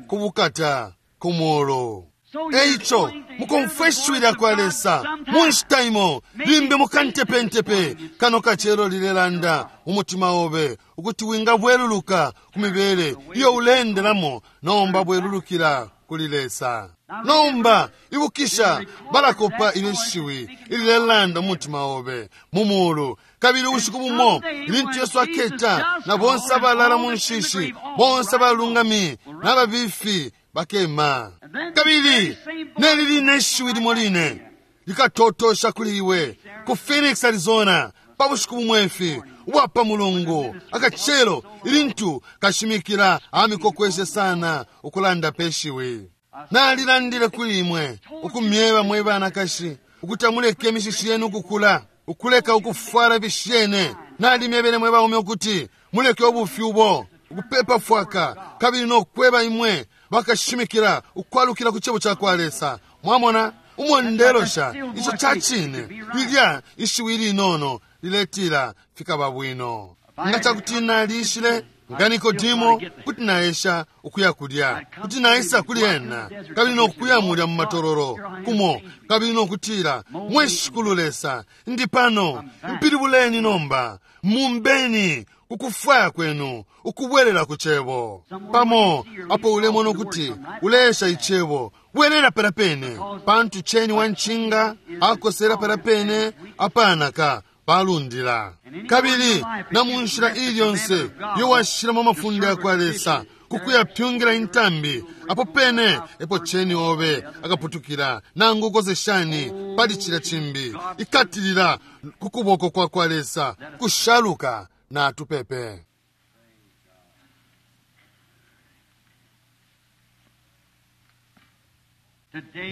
ku bukata, ku mulu. Eico mukumfwa ishiwi lya kwa Lesa mu nshita imo, limbi mukantepentepe kano kacelo lilelanda umutima obe ukuti wingabweluluka ku mibele iyo ulendelamo. Nomba bwelulukila kuli Lesa. Nomba ibukisha, balakopa ile shiwi ililelanda umutima obe mu mulu. Kabili ubushiku bumo ilintu Yesu aketa, na bonse abalala mu nshishi, bonse abalungami n'ababifi bakema. Kabili neli line ishiwi limo line likatotosha kuli iwe ku Phoenix, Arizona, pa bushiku bumwefi ubwapa Mulungu akacelo, ilintu kashimikila amikokweshe sana ukulanda pe shiwi. Nalilandile kuli imwe ukumyeba mwe banakashi ukuti amuleke imishishi yenu ukukula, ukuleka ukufwala bishene. Nalimyebele mwe baume ukuti muleke ubufi ubo ukupepa fwaka, kabili nokweba imwe bakashimikila ukwalukila ku cebo ca kwa Lesa. Mwamona umondelosha ico ca cine, lilya ishiwi linono liletila fikaba bwino. Nga cakuti nalishile nga Nikodimo, kuti naesha ukuya kulya, kuti naisa kuli ena kabili nokuya mulya mu matololo kumo, kabili nokutila, mwe Shikulu Lesa, ndi pano, mpilibuleni nomba, mumbeni kukufwaya kwenu ukubwelela ku cebo. Pamo apo ulemona ukuti uleesha icebo, bwelela pala pene, pantu cheni wa nchinga akosela pala pene apanaka balundila. Kabili na mu nshila ili yonse iyo washilamo amafunde ya kwa Lesa kukuyapyungila intambi, apo pene epo cheni obe akaputukila, nangu ukose shani pali cilya cimbi. Ikatilila ku kuboko kwa kwa Lesa kushaluka. Na tupepe.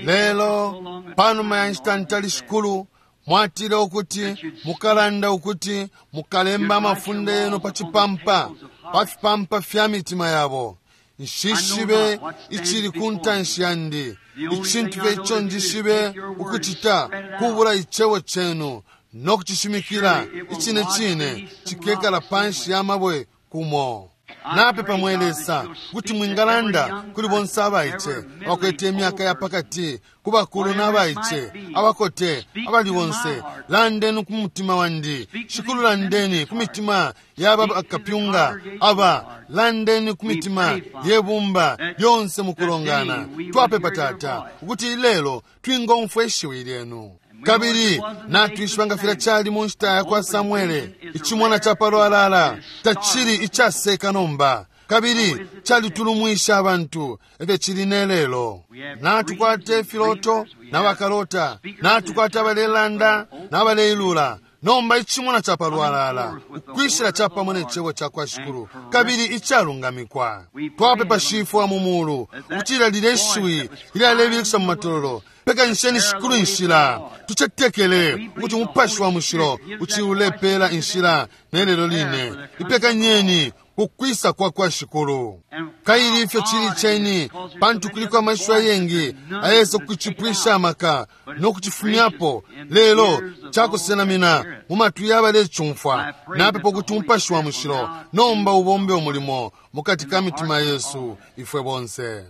Lelo panuma ya nshita ntali, Shikulu, mwatile ukuti mukalanda ukuti mukalemba amafunde yenu pa cipampa, pa fipampa fya mitima yabo. Nshishibe icili ku ntanshi yandi, icintu fye ico njishibe ukucita kubula icebo cenu no kucishimikila. Icine cine cikekala panshi ya mabwe kumo. Napepa mwe Lesa kuti mwingalanda kuli bonse abaice abakwete imyaka ya pakati, ku bakulu n'abaice, abakote, abali bonse. Landeni ku mutima wandi Shikulu, landeni ku mitima y'aba bakapyunga aba, landeni ku mitima yebumba lyonse mukulongana. Twapepa Tata ukuti ilelo twingomfwa ishiwi lyenu. Kabili natwishiba nga filya cali mu nshita ya kwa Samwele, icimona ca palwalala tacili icaseka nomba, kabili calitulumwisha abantu, efyo cili ne lelo. Natukwata ifiloto n'abakalota, natukwata abalelanda n'abaleilula. Nomba icimona ca palwalala ukwishila capamo ne cebo ca kwa Shikulu kabili icalungamikwa. Twapepa Shifwa mu mulu ukutila lile shiwi ilyalebilikisha mu matololo, pekanisheni Shikulu inshila. Tucetekele ukuti Umupashi wa Mushilo uciulepela inshila nelelo line. Ipekanyeni kukwisa kwa kwa Shikulu. Kaili ifyo cili cheni, pantu kuliko amashiwi ayengi ayesa kucipwisha amaka no kucifumyapo, lelo cakusenamina mu matwi y'abalecumfwa. Napepa ukuti Umupashi wa Mushilo nomba ubombe umulimo mukati ka mitima yesu ifwe bonse.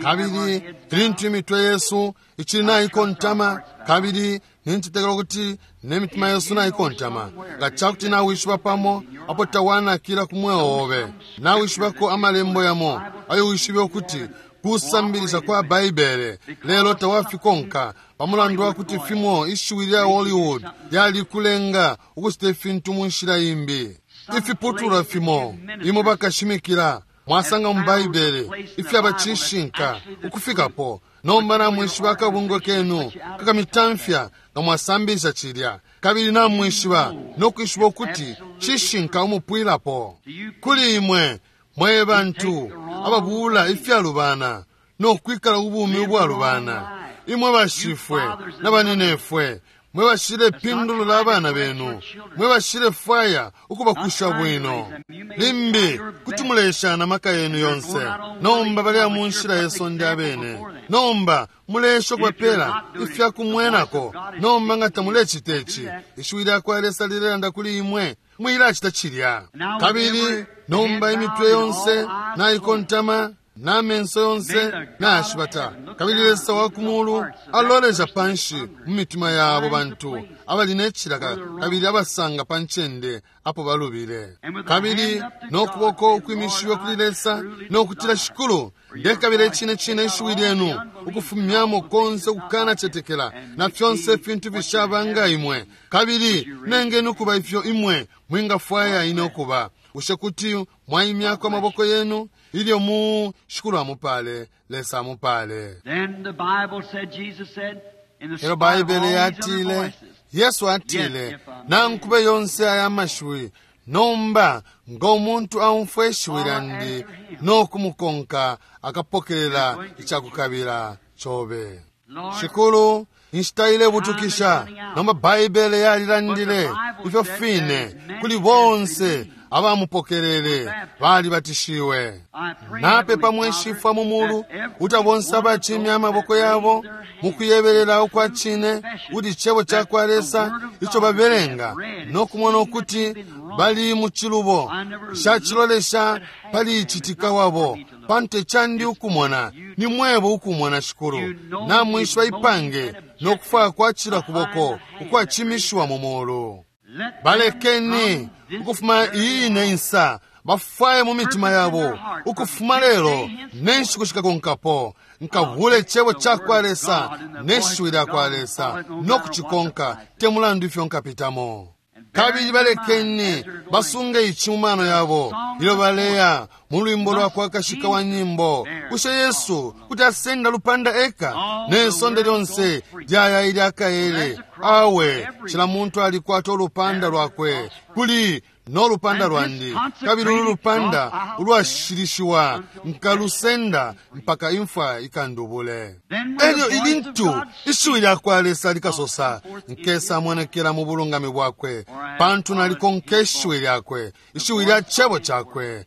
Kabili ilintu imitwe yesu icili naikontama, kabili nincetekela ukuti ne mitima yesu naikontama, nga cakuti nawishiba pamo apo tawanakila ku mweo obe, nawishibako amalembo yamo ayo wishibe ukuti kusambilisha kwa Baibele, lelo tawafikonka pamulandu wa kuti fimo ishiwi lya Hollywood lyalikulenga ukucita ifintu mu nshila imbi. Ifiputulwa fimo imo bakashimikila mwasanga mu Baibele ifyaba cishinka ukufikapo, Nomba namwishiba akabungwe kenu kakamitamfya nga mwasambilisha cilya, kabili namwishiba nokwishiba ukuti cishinka umupwilapo. Kuli imwe mwe bantu ababuula ifyalubana nokwikala ubumi ubwalubana, imwe bashifwe na baninefwe, mwe bashilepindulula abana benu, mwe bashilefwaya ukubakusha bwino, limbi kuti muleshana amaka yenu yonse. Nomba bali mu nshila ye sonde abene, nomba mulesha ukubapela ifyakumwenako. Nomba nga tamulecita ici, ishiwi lya kwa Lesa lilelanda kuli imwe, mwilacita cilya. Kabili nomba imitwe yonse naikontama n'amenso yonse nayashibata, kabili Lesa wa kumulu alolesha panshi mu mitima yabo bantu abali n'ecilaka kabili abasanga pa ncende apo balubile. Kabili n'okuboko ukwimishiwe kuli Lesa n'okutila, Shikulu, ndekabila icine cine ishiwi lyenu ukufumyamo konse ukukanacetekela na fyonse ifintu bishaba nga imwe, kabili nengeni ukuba ifyo imwe mwingafwaya ine ukuba. Bushe kuti mwaimyako amaboko yenu ilyo mu Shikulu amupale, Lesa amupale. Then the Bible said, Jesus said, in the Elo spite of Baibele all these other yatile, voices, Yesu atile, nankube yonse aya mashiwi, nomba nga umuntu aumfwa ishiwi lyandi nokumukonka akapokelela icakukabila cobe. Lord, Shikulu, inshita ilebutukisha. Nomba Baibele yalilandile ifyo fine kuli bonse abamupokelele balibatishiwe. I pray, Napepa Heavenly mweshifwa mu Father, mulu that every kuti bonse one of abacimya those amaboko that yabo raise their hand mukuyebelela ukwa true cine confession kuti icebo ca that kwa the Lesa word of ico God that they babelenga have read and nokumona seen that ukuti they've been wrong. bali mu cilubo. I never Nshacilolesha looked at pali half them. citika It's not wabo, for me to look. pantu ecandi ukumona You ni mwebo ukumona Shikulu. You know Namwishiba the ipange motive and nokufwaya kwa cila kuboko behind the hand ukwacimishiwa mu mulu. Let them Balekeni from this ukufuma very iyi ine hour insa bafwaye mu mitima yabo ukufuma lelo nenshiku shikakonkapo nkavule icebo ca kwa Lesa neshiwi lya kwa Lesa nokucikonka te mulandu ifyo nkapitamo. Kabili balekeni basunge ici mu mano yabo ilyo baleya mu lwimbo lwa kwa kashika wa nyimbo. Bushe Yesu kuti asenda lupanda eka ne sonde lyonse lyaya ilyakaele? Awe, cila muntu alikwata ulupanda lwakwe. Kuli n'olupanda lwandi, kabili ulu lupanda ulwashilishiwa nkalusenda mpaka imfwa ikandubule. Elyo ilintu ishiwi lya kwa Lesa likasosa, nkesa monekela mu bulungami bwakwe, pantu nalikonka ishiwi lyakwe, ishiwi lya cebo cakwe.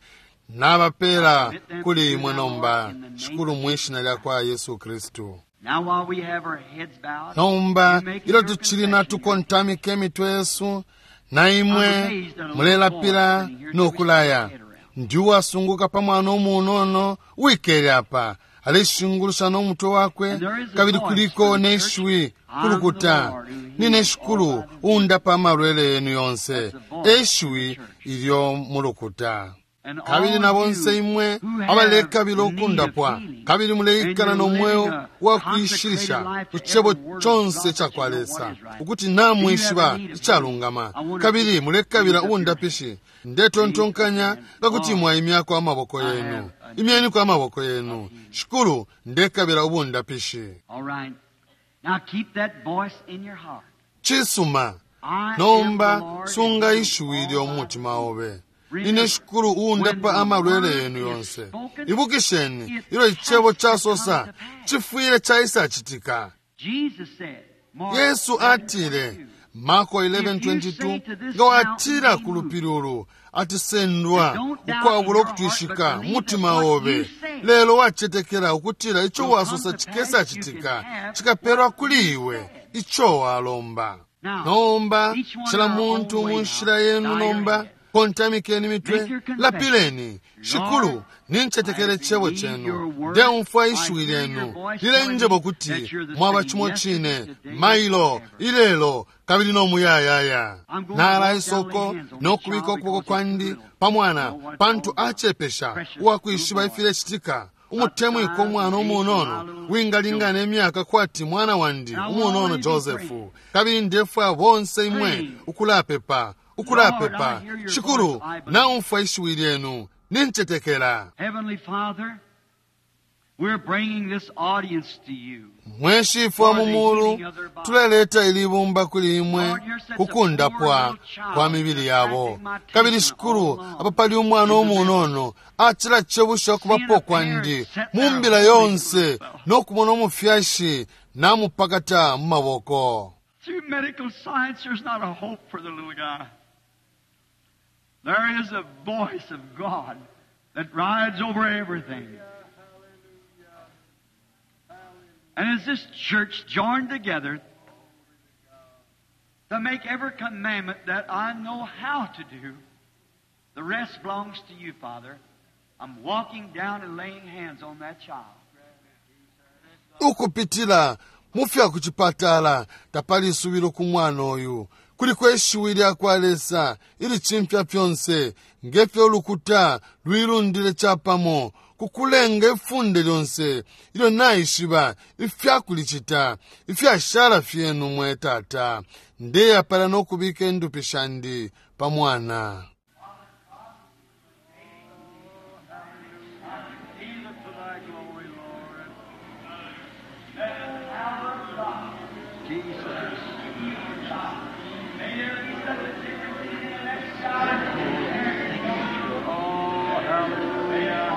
Nabapela kuli imwe nomba, Shikulu, mwishina lya kwa Yesu Kristu. Now while we have our heads bowed, Nomba you make ilyo your tucili confession. natukontamika emitwe yesu, na imwe mulelapila nokulaya. Ndi uwasunguka pa mwana umunono wikele apa aleshingulusha n'omutwe wakwe, kabili kuliko n'eshiwi kulukuta, nine Shikulu undapa amalwele yenu yonse. Eshiwi ilyo mulukuta. And Kabili all na bonse you imwe who have abalekabila need of ukundapwa, healing, kabili muleikala and no you're mweo living a wa consecrated kuishilisha life ku to cebo every word of conse God ca that kwa you know Lesa, what is right. ukuti Do you namwishiba have a need of icalungama, healing? I wonder if kabili you mulekabila raise up your ubundapishi. Ndetontonkanya ngakuti mwaimyako amaboko I have yenu. a need Imyeniko amaboko yenu. Shikulu, ndekabila ubundapishi. All right. Now keep that voice in your heart. Cisuma. I am the Nomba Lord sunga and heal ishiwi all lyo mu thy mutima obe. Remember, Nine Shikulu uundapa when the amalwele word yenu is yonse. spoken, Ibukisheni it ilyo icebo has to casosa come to pass. cifwile caisacitika. Jesus said, Mark Yesu eleven atile, twenty-two, Marko If you say eleven twenty-two, to this nga watila mountain, ku lupili ulu atisendwa and don't doubt ukwabula in your heart, ukutwishika but believe mutima that what obe, you say lelo wacetekela ukutila ico will wasosa come to pass, you cikesacitika, can have cikapelwa what kuli you iwe said. ico walomba. Now, Nomba each one cila in our own muntu way mu now, nshila yenu bow your nomba head. kontamikeni mitwe, Make your confession. lapileni. Shikulu, Lord, nincetekele I icebo believe cenu, your word. ndeumfwa I ishiwi hear your lyenu voice lilenjeba telling me ukuti that you're the mwaba same cimo yesterday, cine today, and mailo forever. ilelo kabili nomuyayaya. I'm going to walk down Nala and lay isoko hands on this nokubika child ukuboko because he's too kwandi little pa to mwana, know what it's all pantu about. acepesha Precious uwakwishiba little boy. ifilecitika. About the Umutemwiko size umwana and age of my umunono little wingalingana Joseph. emyaka kwati mwana wandi And I want all umunono of you to be Josefu. praying. Kabili ndefwaya bonse imwe Praying. ukulapepa, Lord, I ukulapepa. hear your Shikulu, voice. I believe. naumfwa ishiwi lyenu, nincetekela. Heavenly Father, We're bringing this audience to you. Mwe Shifwe wa mu mulu, tuleleta ili bumba kuli imwe kukundapwa kwa mibili yabo. Kabili Shikulu, apa pali umwana umunono acilacebusha ukubapo kwandi mu mbila yonse no kumona umufyashi namupakata mu maboko. Through medical science, there's not a hope for the little guy. There is a voice of God that rides over everything. And as this church joined together to make every commandment that I know how to do, the rest belongs to you, Father. I'm walking down and laying hands on that child. Ukupitila mu fya kucipatala tapali isubilo ku mwana uyu. Kuliko ishiwi lya kwa Lesa ilicimfya fyonse. Ngefyo ulukuta lwilundile capamo kukulenga ifunde lyonse ilyo naishiba ifyakulicita, ifyashala fyenu mwe Tata. Ndeyapala nokubika indupi shandi pa mwana. Jesus. Oh, hallelujah.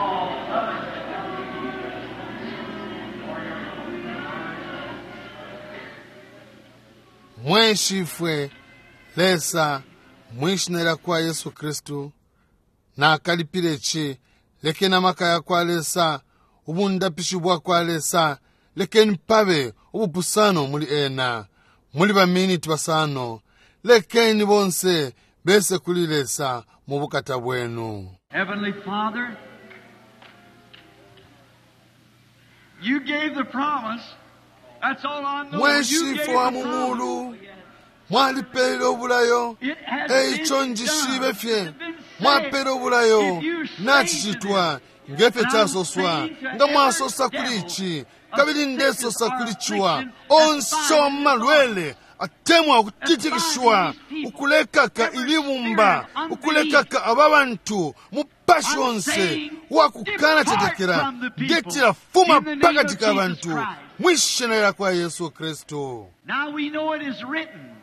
Mwe Shifwe Lesa, mwishina lya kwa Yesu Kristu, nakalipile ci. Lekeni amaka ya kwa Lesa, ubundapishi bwa kwa Lesa, lekeni pabe ubupusano muli ena. Muli baminiti basano, lekeni bonse bese kuli Lesa mu bukata bwenu. Heavenly Father, you gave the promise. That's all I know. Mwe You gave Shifwe the wa mu promise. mulu, mwalipele obulayo. It has Eico been njishibe done. fye It's been said. mwapele obulayo. If you say Nacicitwa to ngefyo them, casoswa. I'm saying to Nga mwasosa every kuli devil ici, of kabili sickness ndesosa or kuli ciwa affliction onse that's wa malwele atemwa ukutitikishiwa, ukulekaka ilibumba, ukulekaka aba bantu, mupashi onse wakukana cetekela, ndetila fuma pakati ka bantu mwishina lya kwa Yesu Kristu. Now we know it is written.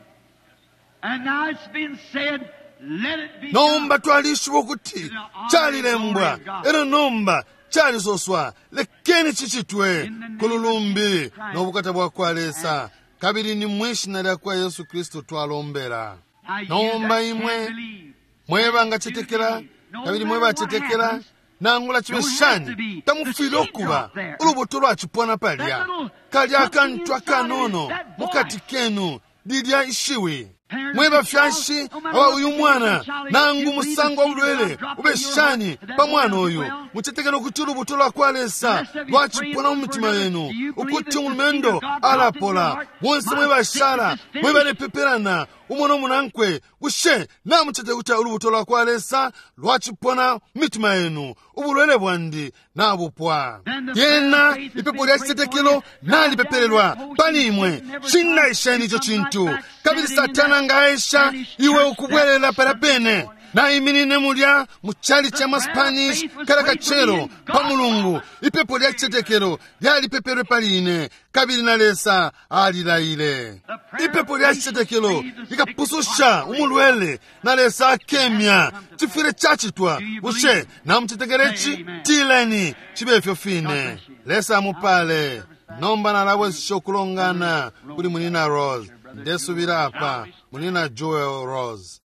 And now it's been said, let it be Nomba done. twalishiba ukuti calilembwa, elo nomba calisoswa, lekeni cicitwe ku lulumbi no bukata bwa kwa Lesa. Kabili ni mwishina lya kwa Yesu Kristu twalombela. Now you Nomba that imwe can't believe, mweba ngacetekela, kabili mwebacetekela, nangula cibe shani, tamufwile ukuba ulubuto lwacipona palya kalya akantu akanono mukati kenu, lilya ishiwi. Mwe bafyashi aba uyu mwana, nangu musango wa bulwele ube shani pa mwana uyu, mucetekela ukuti ulubuto lwa kwa Lesa lwacipona mu mitima yenu, ukuti umulumendo alapola? Bonse mwe bashala, mwe balepepelana umo nomunankwe, bushe namucetekela ukuti ulubuto lwa kwa Lesa lwacipona mu mitima yenu? Ubulwele bwandi nabupwa. Lyena ipepo lya citetekelo nalipepelelwa pali imwe. Cinnaisheni ico cintu, kabili Satana nga aesha iwe ukubwelela pala pene. Naiminine mulya mu chali cha Maspanish kala kacelo pa Mulungu, ipepo lya citetekelo lyalipepelwe pali ine, kabili na Lesa alilaile. Ipepo lya citetekelo likapususha umulwele, na Lesa akemya. Cifwile cacitwa. Bushe namucetekela ici? Tileni cibe ifyo fine. Lesa amupale. Nomba nalabwesesha ukulongana kuli Munina Rose. Ndesubila apa Munina Joel Rose.